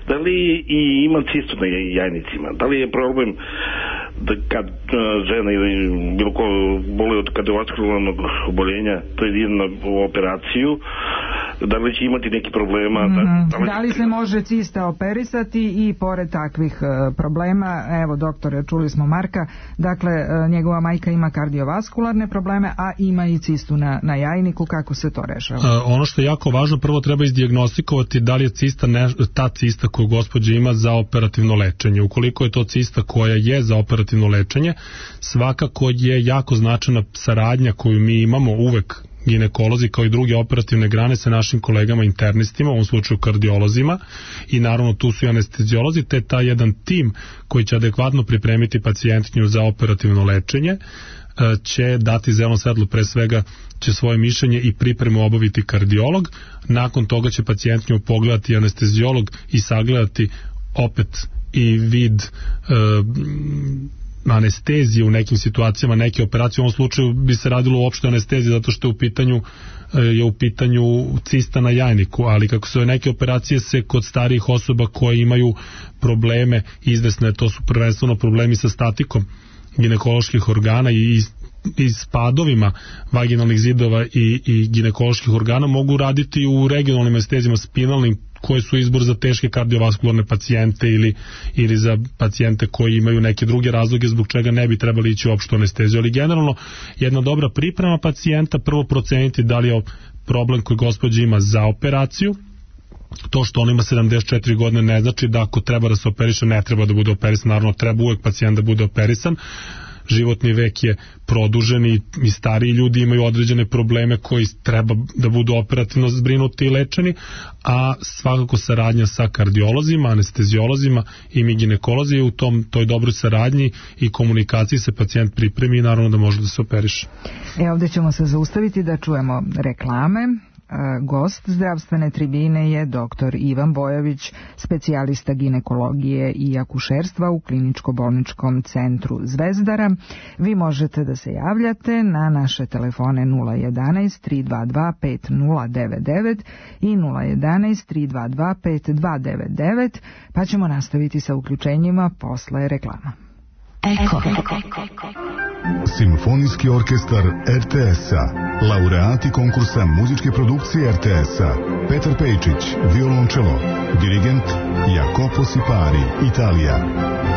Da li i ima cistu na jajnicima? Da li je problem da kad žena ili bilo ko boli od kardiovaskularnog oboljenja, to je jedna operaciju, da li će imati neki problema? Mm-hmm. Da, li... da li se može cista operisati i pored takvih uh, problema, evo doktore, čuli smo Marka, dakle uh, njegova majka ima kardiovaskularne probleme, a ima i cistu na, na jajniku, kako se to rešava? Uh, ono što je jako važno, prvo treba izdijagnostikovati da li je cista ne, ta cista koju gospođa ima za operativno lečenje. Ukoliko je to cista koja je za operativno lečenje, svakako je jako značajna saradnja koju mi imamo uvek ginekolozi kao i druge operativne grane sa našim kolegama internistima, u ovom slučaju kardiolozima, i naravno tu su i anesteziolozi, te taj jedan tim koji će adekvatno pripremiti pacijentkinju za operativno lečenje će dati zeleno svetlo, pre svega će svoje mišljenje i pripremu obaviti kardiolog, nakon toga će pacijentkinju pogledati anesteziolog i sagledati opet i vid e, anestezije u nekim situacijama, neke operacije. U ovom slučaju bi se radilo uopšte anestezije zato što je u pitanju je u pitanju cista na jajniku, ali kako su neke operacije se kod starijih osoba koje imaju probleme izvesne, to su prvenstveno problemi sa statikom ginekoloških organa i i spadovima vaginalnih zidova i, i ginekoloških organa, mogu raditi u regionalnim anestezijama spinalnim, koje su izbor za teške kardiovaskularne pacijente ili, ili za pacijente koji imaju neke druge razloge zbog čega ne bi trebali ići u opštu anesteziju. Ali generalno jedna dobra priprema pacijenta, prvo proceniti da li je problem koji gospođa ima za operaciju. To što on ima sedamdeset četiri godine ne znači da ako treba da se operiše ne treba da bude operisan, naravno treba uvek pacijent da bude operisan. Životni vek je produžen i, i stariji ljudi imaju određene probleme koji treba da budu operativno zbrinuti i lečeni, a svakako saradnja sa kardiolozima, anesteziolozima i mi ginekolozi u tom, toj dobroj saradnji i komunikaciji se pacijent pripremi i naravno da može da se operiše. E, ovdje ćemo se zaustaviti da čujemo reklame. Gost zdravstvene tribine je doktor Ivan Bojović, specijalista ginekologije i akušerstva u kliničko-bolničkom centru Zvezdara. Vi možete da se javljate na naše telefone nula jedanaest tri dva dva pet nula devet devet i nula jedanaest tri dva dva pet dva devet devet, pa ćemo nastaviti sa uključenjima posle reklama. Eko. Simfonijski orkestar er te es-a, laureati konkursa muzičke produkcije er te es-a, Petar Pejčić, violončelo, dirigent Jacopo Sipari, Italija.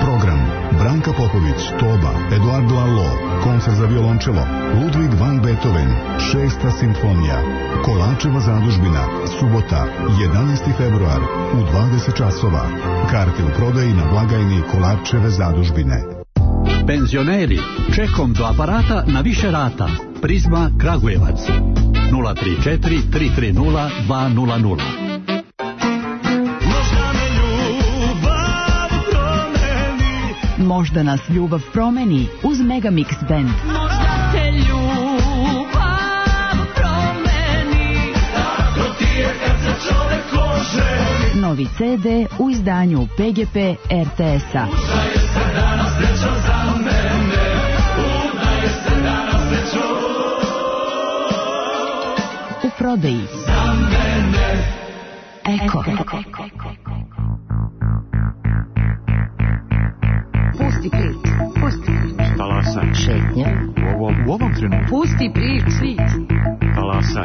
Program: Branka Popović, Toba, Eduardo Allo, koncert za violončelo, Ludwig van Beethoven, šesta simfonija, Kolačeva zadužbina, subota, jedanaesti februar, u dvadeset časova. Karte u prodaji na blagajni Kolačeve zadužbine. Penzioneri, čekom do aparata na više rata. Prizma Kragujevac nula tri četiri tri tri nula dva nula nula. Možda me Možda nas ljubav promeni uz Megamix Band. Možda te ljubav promeni, tako ti je kad se čovek lože. Novi ce de u izdanju P G P er te es-a. Udaje se danas srećom za mene, udaje se danas srećom u prodaji. Za mene Eko. Pusti prič, pusti prič. Talasa. Šetnja. U ovom, u ovom trenutku. Pusti prič. Talasa.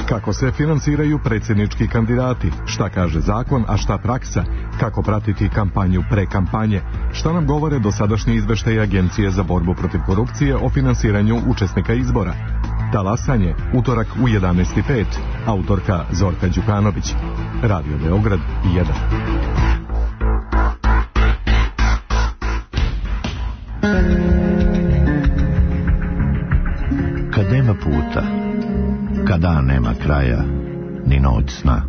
Kako se finansiraju predsjednički kandidati, šta kaže zakon, a šta praksa, kako pratiti kampanju pre kampanje, šta nam govore dosadašnji izveštaji Agencije za borbu protiv korupcije o finansiranju učesnika izbora. Talasanje, utorak u jedanaest i pet, autorka Zorka Đukanović. Radio Beograd jedan. Kad nema puta, kada nema kraja, ni noć sna,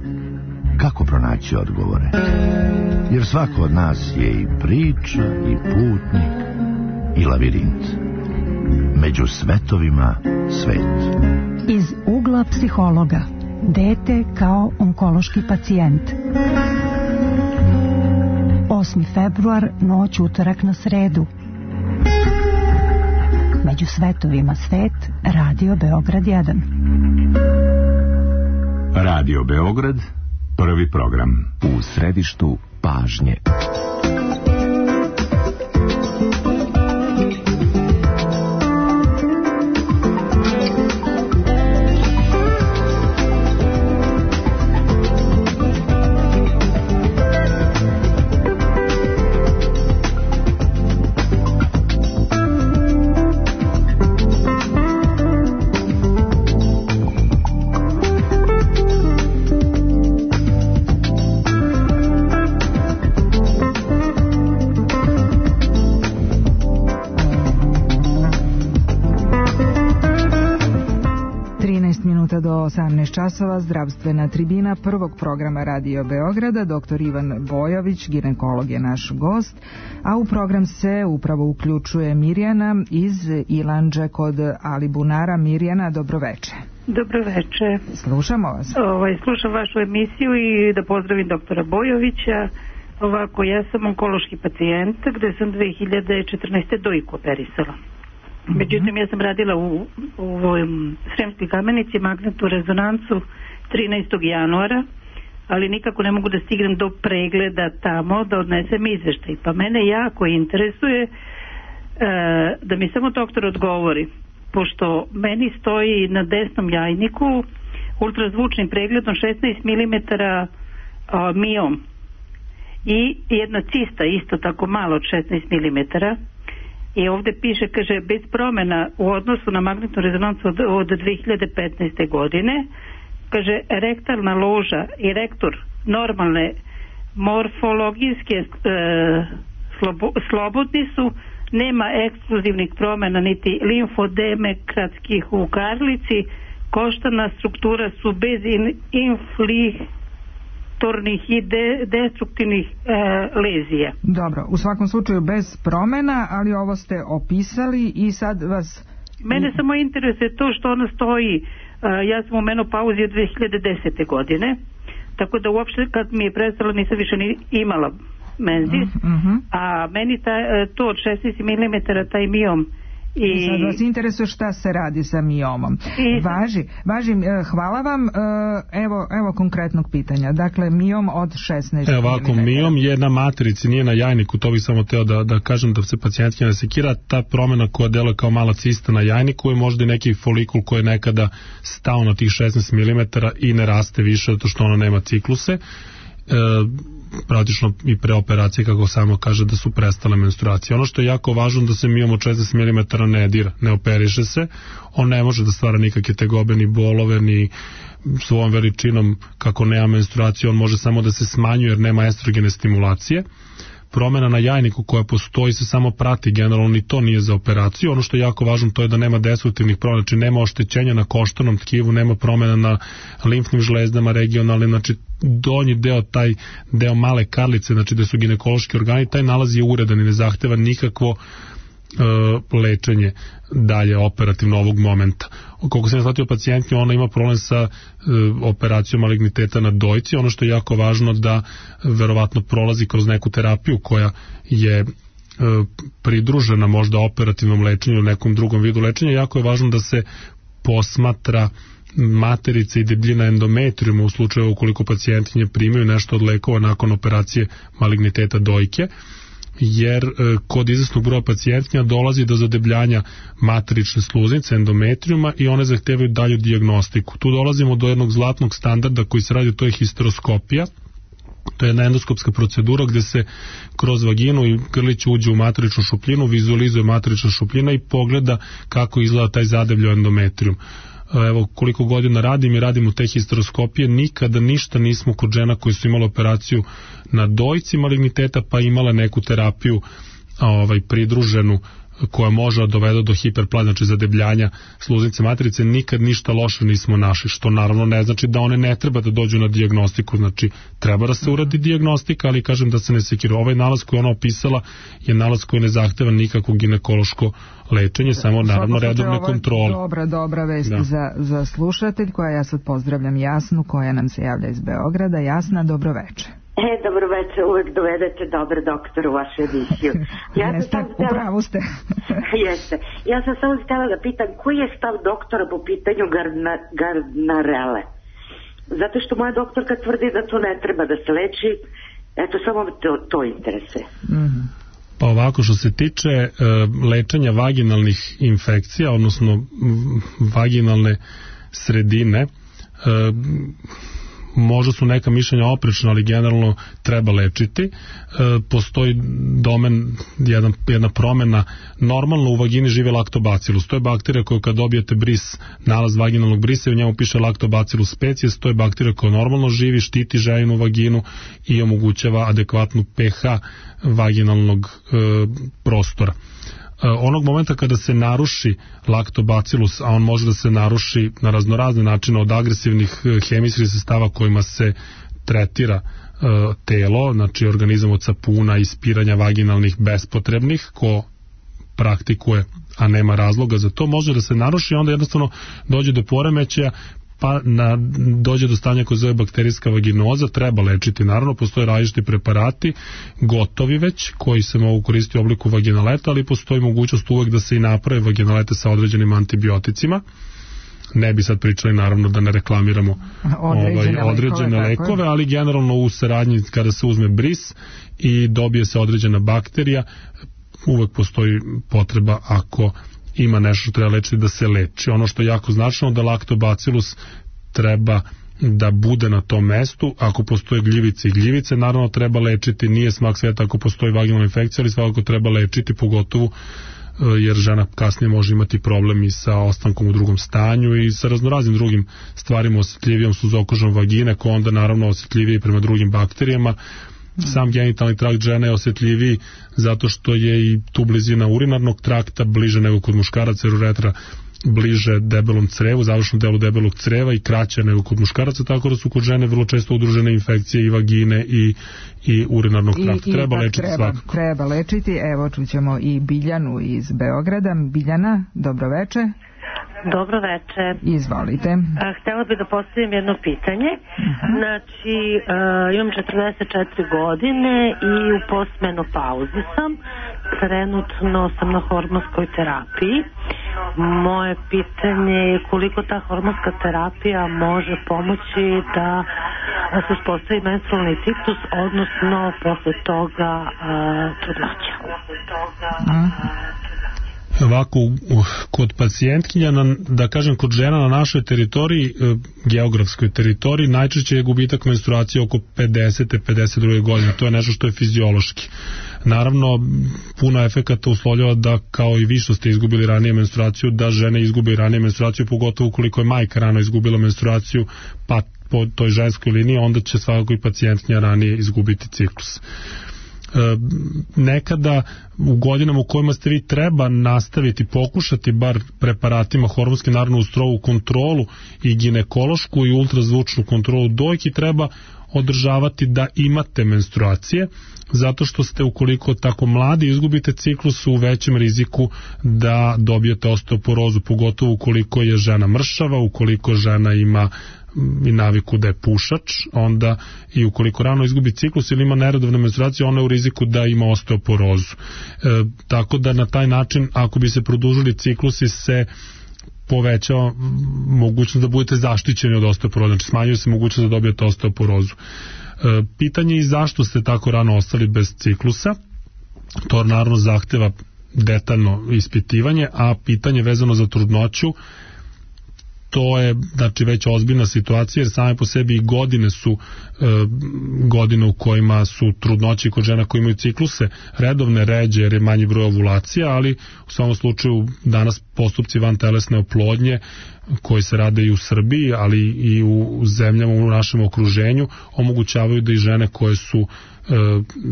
kako pronaći odgovore? Jer svako od nas je i priča, i putnik, i lavirint. Među svetovima svet. Iz ugla psihologa. Dete kao onkološki pacijent. osmi februar, noć utorak na sredu. Među svetovima svet, Radio Beograd jedan. Radio Beograd, prvi program. U središtu pažnje. Do osamnaest časova zdravstvena tribina prvog programa Radio Beograda. Doktor Ivan Bojović, ginekolog, je naš gost, a u program se upravo uključuje Mirjana iz Ilandže kod Alibunara. Mirjana, dobroveče. Dobroveče. Slušamo vas. Ovaj, slušam vašu emisiju i da pozdravim doktora Bojovića. Ovako, ja sam onkološki pacijent gde sam dve hiljade četrnaeste. dojku operisala. Međutim, ja sam radila u, u Sremskoj Kamenici magnetnu rezonancu trinaestog januara, ali nikako ne mogu da stignem do pregleda tamo da odnesem izveštaj. Pa mene jako interesuje e, da mi samo doktor odgovori, pošto meni stoji na desnom jajniku ultrazvučnim pregledom šesnaest milimetara miom i jedna cista isto tako malo od šesnaest milimetara. I ovde piše, kaže, bez promjena u odnosu na magnetnu rezonancu od, od dve hiljade petnaeste. godine, kaže, rektalna loža i rektor normalne morfologijske e, slobo, slobodni su, nema ekskluzivnih promjena niti limfodemekratskih u karlici, koštana struktura su bez in, infli i de, destruktivnih e, lezija. Dobro, u svakom slučaju bez promjena, ali ovo ste opisali i sad vas... Mene samo interesuje to što ona stoji, e, ja sam u menopauzi od dve hiljade desete. godine, tako da uopšte kad mi je prestalo nisam više ni imala menzis, uh-huh. a meni ta, to od šesnaest milimetara taj miom I, I sad vas interesuje šta se radi sa miomom. I... Važi, važi, hvala vam. Evo, evo konkretnog pitanja. Dakle, miom od šesnaest milimetara. Evo ovako, miom je na materici, nije na jajniku. To bih samo teo da, da kažem da se pacijentke ne sekira. Ta promjena koja deluje kao mala cista na jajniku je možda i neki folikul koji je nekada stao na tih šesnaest milimetara i ne raste više zato što ona nema cikluse. E, praktično i pre operacije, kako samo kaže, da su prestale menstruacije. Ono što je jako važno da se miom od šesnaest milimetara ne dira, ne operiše se, on ne može da stvara nikakve tegobe ni bolove ni svojom veličinom, kako nema menstruacije, on može samo da se smanjuje jer nema estrogene stimulacije. promena na jajniku koja postoji se samo prati, generalno ni to nije za operaciju. Ono što je jako važno to je da nema destruktivnih promena, znači nema oštećenja na koštanom tkivu, nema promena na limfnim žlezdama regionalnim, znači donji deo, taj deo male karlice, znači gde su ginekološki organi, taj nalaz je uredan i ne zahteva nikakvo e, lečenje dalje operativno ovog momenta. Koliko sam shvatio pacijentnju, ona ima problem sa e, operacijom maligniteta na dojci. Ono što je jako važno da verovatno prolazi kroz neku terapiju koja je e, pridružena možda operativnom lečenju ili nekom drugom vidu lečenja. Jako je važno da se posmatra materice i debljina endometrijuma u slučaju ukoliko pacijentkinje primaju nešto od lekova nakon operacije maligniteta dojke, jer e, kod izvesnog broja pacijentkinja dolazi do zadebljanja matrične sluznice endometrijuma i one zahtevaju dalju dijagnostiku. Tu dolazimo do jednog zlatnog standarda koji se radi, to je histeroskopija. To je jedna endoskopska procedura gde se kroz vaginu i grlić uđe u matričnu šupljinu, vizualizuje matrična šupljina i pogleda kako izgleda taj zadebljao endometrijum. Evo koliko godina radim i radim u te histeroskopije, nikada ništa nismo kod žena koji su imali operaciju na dojci maligniteta pa imala neku terapiju ovaj, pridruženu koja može da dovede do hiperplaze, znači zadebljanja sluznice matrice, nikad ništa loše nismo našli, što naravno ne znači da one ne treba da dođu na dijagnostiku, znači treba da se uradi dijagnostika, ali kažem da se ne sekira. Ovaj nalaz koji ona opisala je nalaz koji ne zahteva nikakvo ginekološko lečenje, samo naravno redovne kontrole. Dobra, dobra vest da. za, za slušatelj koja ja sad pozdravljam Jasnu koja nam se javlja iz Beograda. Jasna, dobro veče. E, dobro večer, uvek dovedete dobar doktor u vašu emisiju. Ja Jeste, sam htjela... upravo ste. Jeste. Ja sam samo htjela da pitam koji je stav doktora po pitanju Gardna, Gardnerelle. Zato što moja doktorka tvrdi da to ne treba da se leči. Eto, samo to, to interesuje. Mm-hmm. Pa ovako, što se tiče e, lečenja vaginalnih infekcija, odnosno vaginalne sredine, e, možda su neka mišljenja oprečna, ali generalno treba lečiti. E, postoji domen, jedan, jedna promena. Normalno u vagini živi Lactobacillus. To je bakterija koja kad dobijete bris, nalaz vaginalnog brisa i u njemu piše Lactobacillus species, to je bakterija koja normalno živi, štiti ženinu vaginu i omogućava adekvatnu pH vaginalnog e, prostora. Onog momenta kada se naruši Lactobacillus, a on može da se naruši na raznorazne načine, od agresivnih hemijskih sredstava kojima se tretira uh, telo, znači organizam od sapuna, ispiranja vaginalnih bespotrebnih, ko praktikuje, a nema razloga za to, može da se naruši i onda jednostavno dođe do poremećaja, pa na, dođe do stanja koje zove bakterijska vaginoza, treba lečiti. Naravno, postoje različiti preparati, gotovi već, koji se mogu koristiti u obliku vaginaleta, ali postoji mogućnost uvek da se i naprave vaginalete sa određenim antibioticima. Ne bi sad pričali, naravno, da ne reklamiramo određene, ovaj, određene lekove, lekove, ali generalno u saradnji kada se uzme bris i dobije se određena bakterija, uvek postoji potreba ako ima nešto što treba lečiti da se leči. Ono što je jako značajno da Lactobacillus treba da bude na tom mestu. Ako postoje gljivice i gljivice, naravno treba lečiti. Nije smak sveta ako postoji vaginalna infekcija, ali svakako treba lečiti, pogotovo jer žena kasnije može imati problem i sa ostankom u drugom stanju i sa raznoraznim drugim stvarima, osjetljivijom suzokožom vagine, koja onda naravno osjetljiviji prema drugim bakterijama. Sam genitalni trakt žene je osjetljiviji zato što je i tu blizina urinarnog trakta bliže nego kod muškaraca, jer uretra bliže debelom crevu, završnom delu debelog creva i kraće nego kod muškaraca, tako da su kod žene vrlo često udružene infekcije i vagine i, i urinarnog trakta. I, treba i lečiti treba, svakako. Treba lečiti. Evo čućemo i Biljanu iz Beograda. Biljana, dobro veče. Dobro veče. Izvolite. A, htjela bih da postavim jedno pitanje. Uh-huh. Znači, uh, imam četrdeset četiri godine i u postmenopauzi sam. Trenutno sam na hormonskoj terapiji. Moje pitanje je koliko ta hormonska terapija može pomoći da se uspostavi menstrualni ciklus, odnosno posle toga uh, trudnoća. Uh-huh. Ovako, kod pacijentkinja, na, da kažem kod žena na našoj teritoriji, geografskoj teritoriji, najčešće je gubitak menstruacije oko pedesete pedeset druge godine. To je nešto što je fiziološki. Naravno, puno efekata uslovljava da, kao i vi što ste izgubili ranije menstruaciju, da žene izgube ranije menstruaciju, pogotovo ukoliko je majka rano izgubila menstruaciju, pa po toj ženskoj liniji, onda će svakako i pacijentkinja ranije izgubiti ciklus. nekada u godinama u kojima ste vi treba nastaviti, pokušati bar preparatima hormonski, naravno uz strogu kontrolu i ginekološku i ultrazvučnu kontrolu dojki, treba održavati da imate menstruacije, zato što ste, ukoliko tako mladi izgubite ciklus, u većem riziku da dobijete osteoporozu, pogotovo ukoliko je žena mršava, ukoliko žena ima i naviku da je pušač, onda i ukoliko rano izgubi ciklus ili ima neredovne menstruacije, ona je u riziku da ima osteoporozu. E, tako da na taj način, ako bi se produžili ciklusi, se povećava mogućnost da budete zaštićeni od osteoporoze, znači smanjuje se mogućnost da dobijete osteoporozu. E, pitanje je zašto ste tako rano ostali bez ciklusa, to naravno zahteva detaljno ispitivanje, a pitanje vezano za trudnoću, to je znači već ozbiljna situacija, jer same po sebi i godine su e, godine u kojima su trudnoće kod žena koji imaju cikluse redovne, ređe, jer je manji broj ovulacija, ali u svakom slučaju danas postupci vantelesne oplodnje koji se rade i u Srbiji, ali i u zemljama u našem okruženju, omogućavaju da i žene koje su e,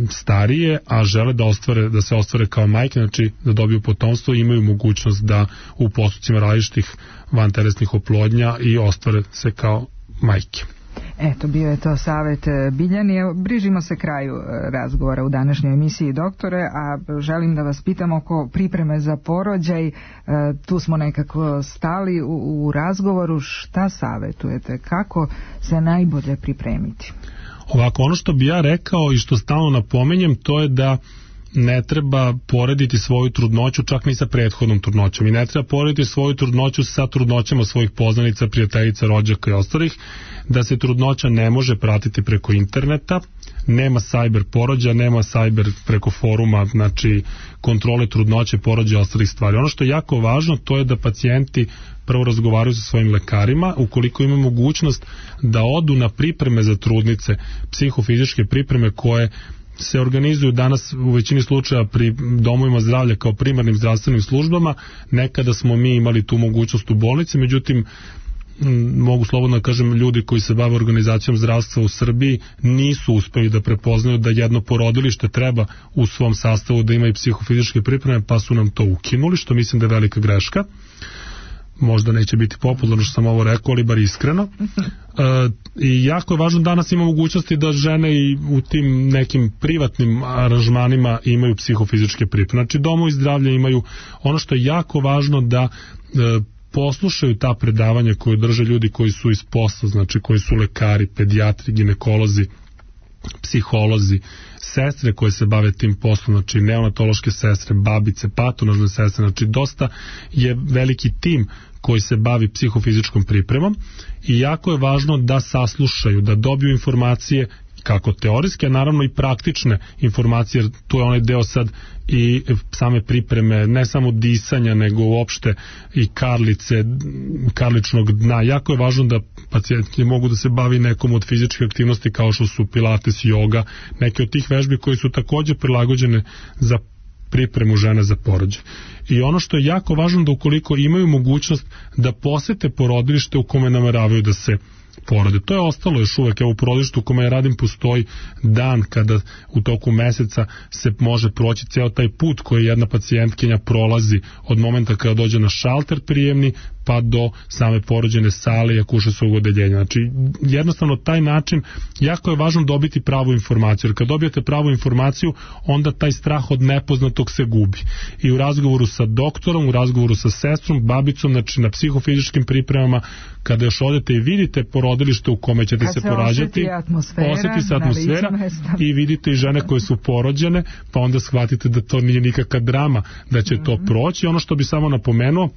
starije, a žele da ostvare, da se ostvare kao majke, znači da dobiju potomstvo, imaju mogućnost da u postupcima različitih vantelesnih oplodnja i ostvare se kao majke. Eto, bio je to savjet Biljani. Bližimo se kraju razgovora u današnjoj emisiji, doktore, a želim da vas pitam oko pripreme za porođaj. Tu smo nekako stali u, u razgovoru. Šta savjetujete? Kako se najbolje pripremiti? Ovako, ono što bi ja rekao i što stalno napominjem, to je da ne treba porediti svoju trudnoću čak ni sa prethodnom trudnoćom i ne treba porediti svoju trudnoću sa trudnoćama svojih poznanica, prijateljica, rođaka i ostalih, da se trudnoća ne može pratiti preko interneta, nema cyber porođaja, nema cyber preko foruma, znači kontrole trudnoće, porođaja i ostalih stvari. Ono što je jako važno, to je da pacijenti prvo razgovaraju sa svojim lekarima, ukoliko imaju mogućnost da odu na pripreme za trudnice, psihofizičke pripreme koje se organizuju danas u većini slučaja pri domovima zdravlja kao primarnim zdravstvenim službama. Nekada smo mi imali tu mogućnost u bolnici, međutim mogu slobodno da kažem, ljudi koji se bave organizacijom zdravstva u Srbiji nisu uspeli da prepoznaju da jedno porodilište treba u svom sastavu da ima i psihofizičke pripreme, pa su nam to ukinuli, što mislim da je velika greška. Možda neće biti popularno što sam ovo rekao, ali bar iskreno. E, i jako je važno, danas ima mogućnosti da žene i u tim nekim privatnim aranžmanima imaju psihofizičke pripreme. Znači domovi zdravlja imaju, ono što je jako važno, da e, poslušaju ta predavanja koje drže ljudi koji su iz posla, znači koji su lekari, pedijatri, ginekolozi, psiholozi, sestre koje se bave tim poslom, znači neonatološke sestre, babice, patonažne sestre, znači dosta je veliki tim koji se bavi psihofizičkom pripremom i jako je važno da saslušaju, da dobiju informacije kako teorijske, naravno i praktične informacije, jer tu je onaj deo sad i same pripreme, ne samo disanja, nego uopšte i karlice, karličnog dna. Jako je važno da pacijenti mogu da se bavi nekom od fizičke aktivnosti kao što su pilates, joga, neke od tih vežbi koji su također prilagođene za pripremu žene za porođaj. I ono što je jako važno, da ukoliko imaju mogućnost da posete porodilište u kome nameravaju da se porode. To je ostalo još uvek. Evo u porodilištu u kome ja radim postoji dan kada u toku meseca se može proći ceo taj put koji jedna pacijentkinja prolazi od momenta kada dođe na šalter prijemni pa do same porođene sale i akušerskog odeljenja. Znači jednostavno taj način jako je važno dobiti pravu informaciju, jer kad dobijete pravu informaciju onda taj strah od nepoznatog se gubi. I u razgovoru sa doktorom, u razgovoru sa sestrom, babicom, znači na psihofizičkim pripremama, kada još odete i vidite porodilište u kome ćete kad se, se porađati, osjeti se atmosfera i vidite i žene koje su porođene, pa onda shvatite da to nije nikakva drama, da će mm-hmm. to proći. Ono što bi samo napomenuo,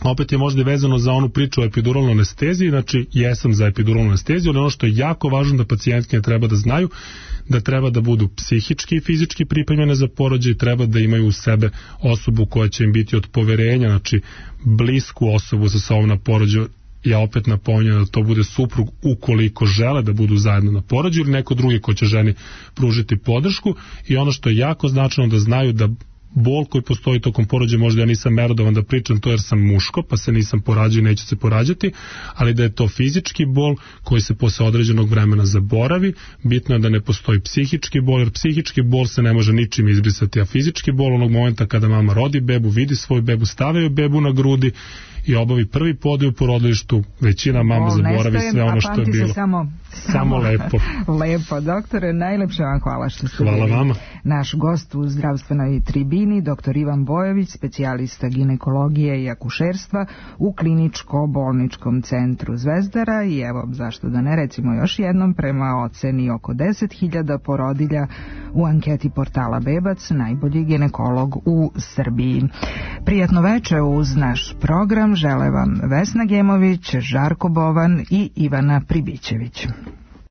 opet je možda vezano za onu priču o epiduralnoj anesteziji, znači jesam za epiduralnu anesteziju, ali ono što je jako važno da pacijentke treba da znaju, da treba da budu psihički i fizički pripremljene za porođaj, treba da imaju u sebe osobu koja će im biti od poverenja, znači blisku osobu sa sobom na porođaju. Ja opet napominjem da to bude suprug ukoliko žele da budu zajedno na porođaju ili neko drugi ko će ženi pružiti podršku. I ono što je jako značajno, da znaju da bol koji postoji tokom porođaja, možda ja nisam merodovan da pričam to jer sam muško, pa se nisam porađao i neću se porađati, ali da je to fizički bol koji se posle određenog vremena zaboravi. Bitno je da ne postoji psihički bol, jer psihički bol se ne može ničim izbrisati, a fizički bol onog momenta kada mama rodi bebu, vidi svoju bebu, stavljaju bebu na grudi i obavi prvi podij u porodilištu, većina mama zaboravi sve ono što je bilo. Samo, samo, samo lepo. Lepo, doktore, najlepše vam hvala što ste hvala bili vama. Naš gost u zdravstvenoj tribini, doktor Ivan Bojović, specijalista ginekologije i akušerstva u kliničko-bolničkom centru Zvezdara i evo, zašto da ne recimo još jednom, prema oceni oko deset hiljada porodilja u anketi portala Bebac, najbolji ginekolog u Srbiji. Prijatno veče uz naš program žele vam Vesna Gemović, Žarko Bovan i Ivana Pribićević.